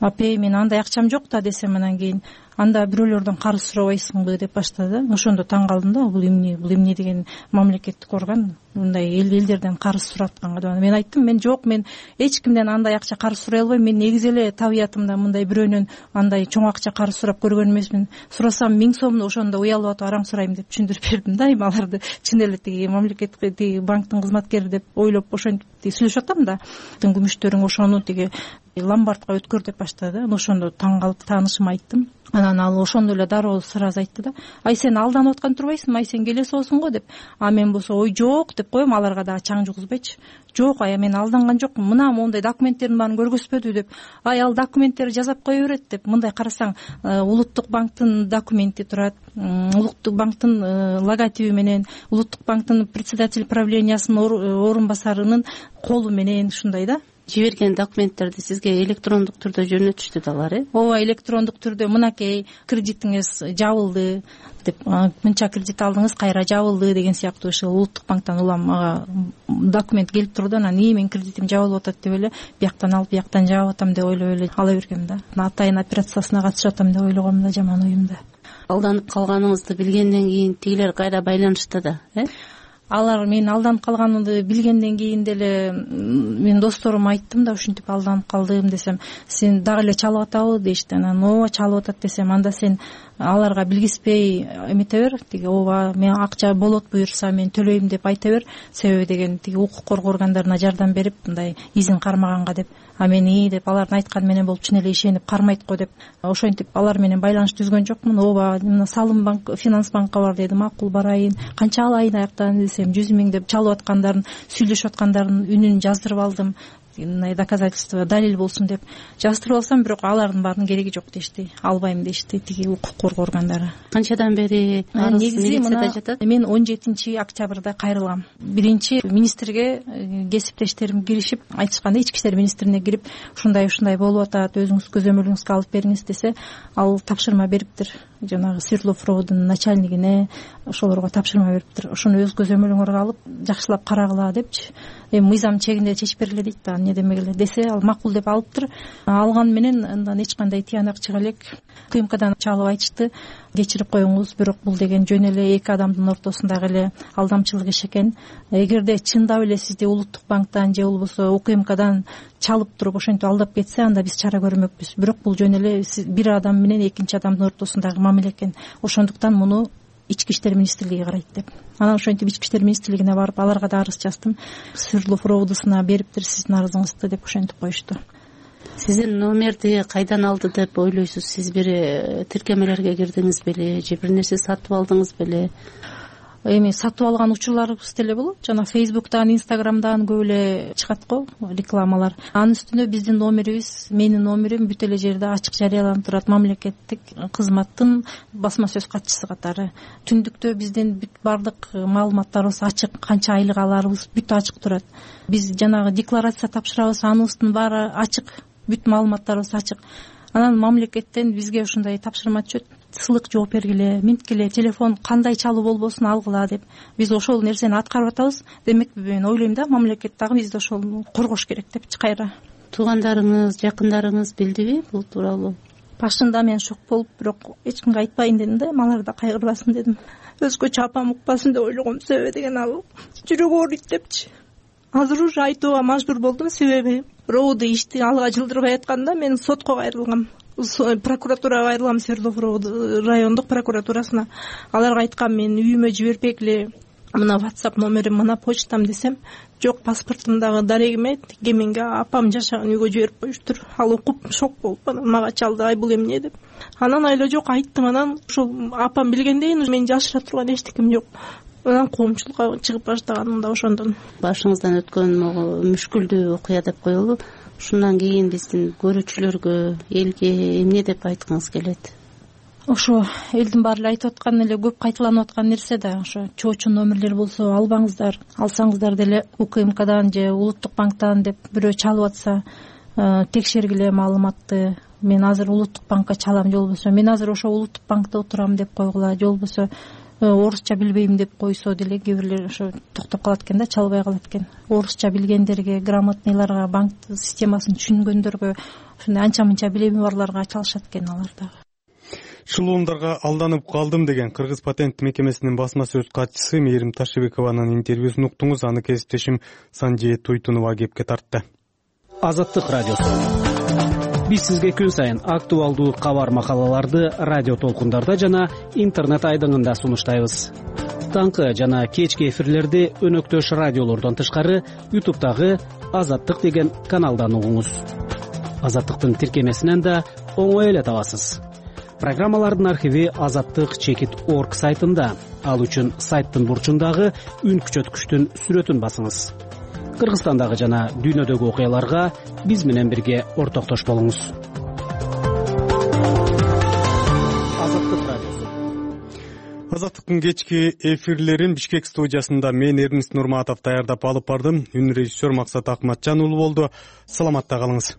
[SPEAKER 18] апей, мен андай акчам жок да десем, анан кийин анда бирөөлөрдөн карыз сурабайсыңбы деп баштады. Ошондо таң калдым да, бул эмне бул эмне деген мамлекеттик орган мындай элдерден карыз суратканга деп. Мен айттым, мен жок, мен эч кимден андай акча карыз сурай албайм. Мен негизи эле табиятымда мындай бирөөнөн андай чоң акча карыз сурап көргөн эмесмин. Сурасам миң сомду ошондо уялып атып араң сурайм деп түшүндүрүп бердим да. Эми аларды чын эле тиги мамлекеттик тиги банктын кызматкери деп ойлоп ошентип сүйлөшүп атам да. Күмүштөрүң ошону тиги ломбардка өткөр деп баштады. Ошондо таң калып таанышыма айттым. Анан ал ошондо эле дароо сразу айтты да, ай сен алданып аткан турбайсыңбы, ай сен келе соосуң го деп. А мен болсо ой жок деп коем, аларга дагы чаң жугузбайчы. Жок, ай мен алданган жокмун, мына моундай документтердин баарын көргөзбөдү деп. Ай ал документтерди жасап кое берет деп. Мындай карасаң, Улуттук банктын документи турат, Улуттук банктын логотиби менен, Улуттук банктын председатель правлениясынын орун басарынын колу менен ушундай да.
[SPEAKER 16] Жиберген документтерди сизге электрондук түрдө жөнөтүштү да алар, э?
[SPEAKER 18] Ооба, электрондук түрдө мынакей кредитиңиз жабылды деп, мынча кредит алдыңыз, кайра жабылды деген сыяктуу ушул Улуттук банктан улам ага документ келип турду. Анан ии мен кредитим жабылып атат деп эле бияктан алып бияктан жаап атам деп ойлоп эле ала бергем да. Атайын операциясына катышып атам деп ойлогом да, жаман оюмда.
[SPEAKER 16] Алданып калганыңызды билгенден кийин тигилер кайра байланышты да, э?
[SPEAKER 18] Алар мен алданып калганымды билгенден кийин деле мен досторума айттым да, ушинтип алданып калдым десем, сен дагы эле чалып атабы дешти. Анан ооба чалып атат десем, анда сен аларга билгизбей эмете бер, тиги ооба мен акча болот буюрса мен төлөйм деп айта бер, себеби деген тиги укук коргоо органдарына жардам берип мындай изин кармаганга деп. А мен ии деп алардын айтканы менен болуп чын эле ишенип кармайт го деп ошентип алар менен байланыш түзгөн жокмун. Ооба мына салым банк, финанс банкка бар деди, макул барайын, канча алайын аяктан десем, жүз миң деп чалып аткандарын, сүйлөшүп аткандарын үнүн жаздырып алдым. Мындай доказательство, далил болсун деп жаздырып алсам, бирок алардын баарынын кереги жок дешти, албайм дешти тиги укук коргоо органдары.
[SPEAKER 16] Канчадан бери арыз милицияда жатат?
[SPEAKER 18] Мен он жетинчи октябрда кайрылгам. Биринчи министрге кесиптештерим киришип айтышканда, ички иштер министрине кирип ушундай ушундай болуп атат, өзүңүз көзөмөлүңүзгө алып бериңиз десе, ал тапшырма бериптир жанагы Свердлов-Ровдун начальнигине, ошолорго тапшырма бериптир. Ошону өз көзөмөлүңөргө алып жакшылап карагыла депчи. Эми мыйзам чегинде чечип бергиле дейт да, эмне демегиле десе, ал макул деп алыптыр. Алган менен андан эч кандай тыянак чыга элек. КМКдан чалып айтышты, кечирип коюңуз, бирок бул деген жөн эле эки адамдын ортосундагы эле алдамчылык иш экен. Эгерде чындап эле сизди Улуттук банктан же болбосо УКМКдан чалып туруп ошентип алдап кетсе, анда биз чара көрмөкпүз. Бирок бул жөн эле бир адам менен экинчи адамдын ортосундагы мамиле экен. Ошондуктан муну ички иштер министрлиги карайт деп. Анан ошентип ички иштер министрлигине барып, аларга да арыз жаздым. Свердлов-Ровдусуна бериптир сиздин арызыңызды деп ошентип коюшту.
[SPEAKER 16] Сиздин номерди кайдан алды деп ойлойсуз? Сиз бир тиркемелерге кирдиңиз беле, же бир нерсе сатып алдыңыз беле? Эми
[SPEAKER 18] сатып алган учурларыбыз деле болот. Жана Фейсбуктан, Инстаграмдан көп эле чыгат го рекламалар. Анын үстүнө биздин номерибиз, менин номерим бүт эле жерде ачык жарыяланып турат, мамлекеттик кызматтын басма сөз катчысы катары. Түндүктө биздин бүт бардык маалыматтарыбыз ачык, канча айлык аларыбыз бүт ачык турат. Биз жанагы декларация тапшырабыз, аныбыздын баары ачык, бүт маалыматтарыбыз ачык. Анан мамлекеттен бизге ушундай тапшырма түшөт, сылык жооп бергиле, минткиле, телефон кандай чалуу болбосун алгыла деп. Биз ошол нерсени аткарып атабыз. Демек мен ойлойм да, мамлекет дагы бизди ошол коргош керек депчи кайра.
[SPEAKER 16] Туугандарыңыз, жакындарыңыз билдиби бул тууралуу?
[SPEAKER 18] Башында мен шок болуп, бирок эч кимге айтпайын дедим да, алар да кайгырбасын дедим. Өзгөчө апам укпасын деп ойлогом, себеби деген ал жүрөгү ооруйт депчи. Азыр уже айтууга мажбур болдум, себеби Роуду ишти алга жылдырбай атканда мен сотко кайрылгам. Прокуратурага кайрылгам, Свердлов райондук прокуратурасына. Аларга айткам, мен үйүмө жиберпегиле, мына WhatsApp номерим, мына почтам десем, жок, паспортумдагы дарегиме тиги менге апам жашаган үйгө жиберип коюштур. Ал окуп шок болуп анан мага чалды, ай бул эмне деп. Анан айла жок айттым, анан ошол апам билгендейин мен жашыра турган эчтекем жок. Анан коомчулукка чыгып баштаганым да ошондон.
[SPEAKER 16] Башыңыздан өткөн могу мүшкүлдүү окуя деп коелу. Ушундан кийин биздин көрүүчүлөргө, элге эмне деп айткыңыз келет?
[SPEAKER 18] Ошо элдин баары эле айтып аткан эле көп кайталанып аткан нерсе да, ошо чоочун номерлер болсо албаңыздар, алсаңыздар деле УКМКдан же Улуттук банктан деп бирөө чалып атса, текшергиле маалыматты. Мен азыр Улуттук банкка чалам, же болбосо мен азыр ошо Улуттук банкта отурам деп койгула, же болбосо орусча билбейм деп койсо деле кээ бирлер ошо токтоп калат экен да, чалбай калат экен. Орусча билгендерге, грамотныйларга, банк системасын түшүнгөндөргө, ушундай анча мынча билими барларга чалышат экен алар дагы.
[SPEAKER 2] Шылуундарга алданып калдым деген Кыргыз патент мекемесинин басма сөз катчысы Мээрим Ташыбекованын интервьюсун уктуңуз. Аны кесиптешим Санжи Туйтунова кепке тартты.
[SPEAKER 17] Азаттык радиосу. Биз сизге күн сайын актуалдуу кабар макалаларды радио толкундарда жана интернет айдыңында сунуштайбыз. Таңкы жана кечки эфирлерди өнөктөш радиолордон тышкары ютубтагы Азаттык деген каналдан угуңуз. Азаттыктын тиркемесинен да оңой эле табасыз. Программалардын архиви азаттык чекит орг сайтында. Ал үчүн сайттын бурчундагы үн күчөткүчтүн сүрөтүн басыңыз. Кыргызстандагы жана дүйнөдөгү окуяларга биз менен бирге ортоктош болуңуз. Азаттык радиосу.
[SPEAKER 2] Азаттыктын кечки эфирлерин Бишкек студиясында мен Эрнест Нурматов даярдап алып бардым. Үн режиссер Максат Акматжан уулу болду. Саламатта калыңыз.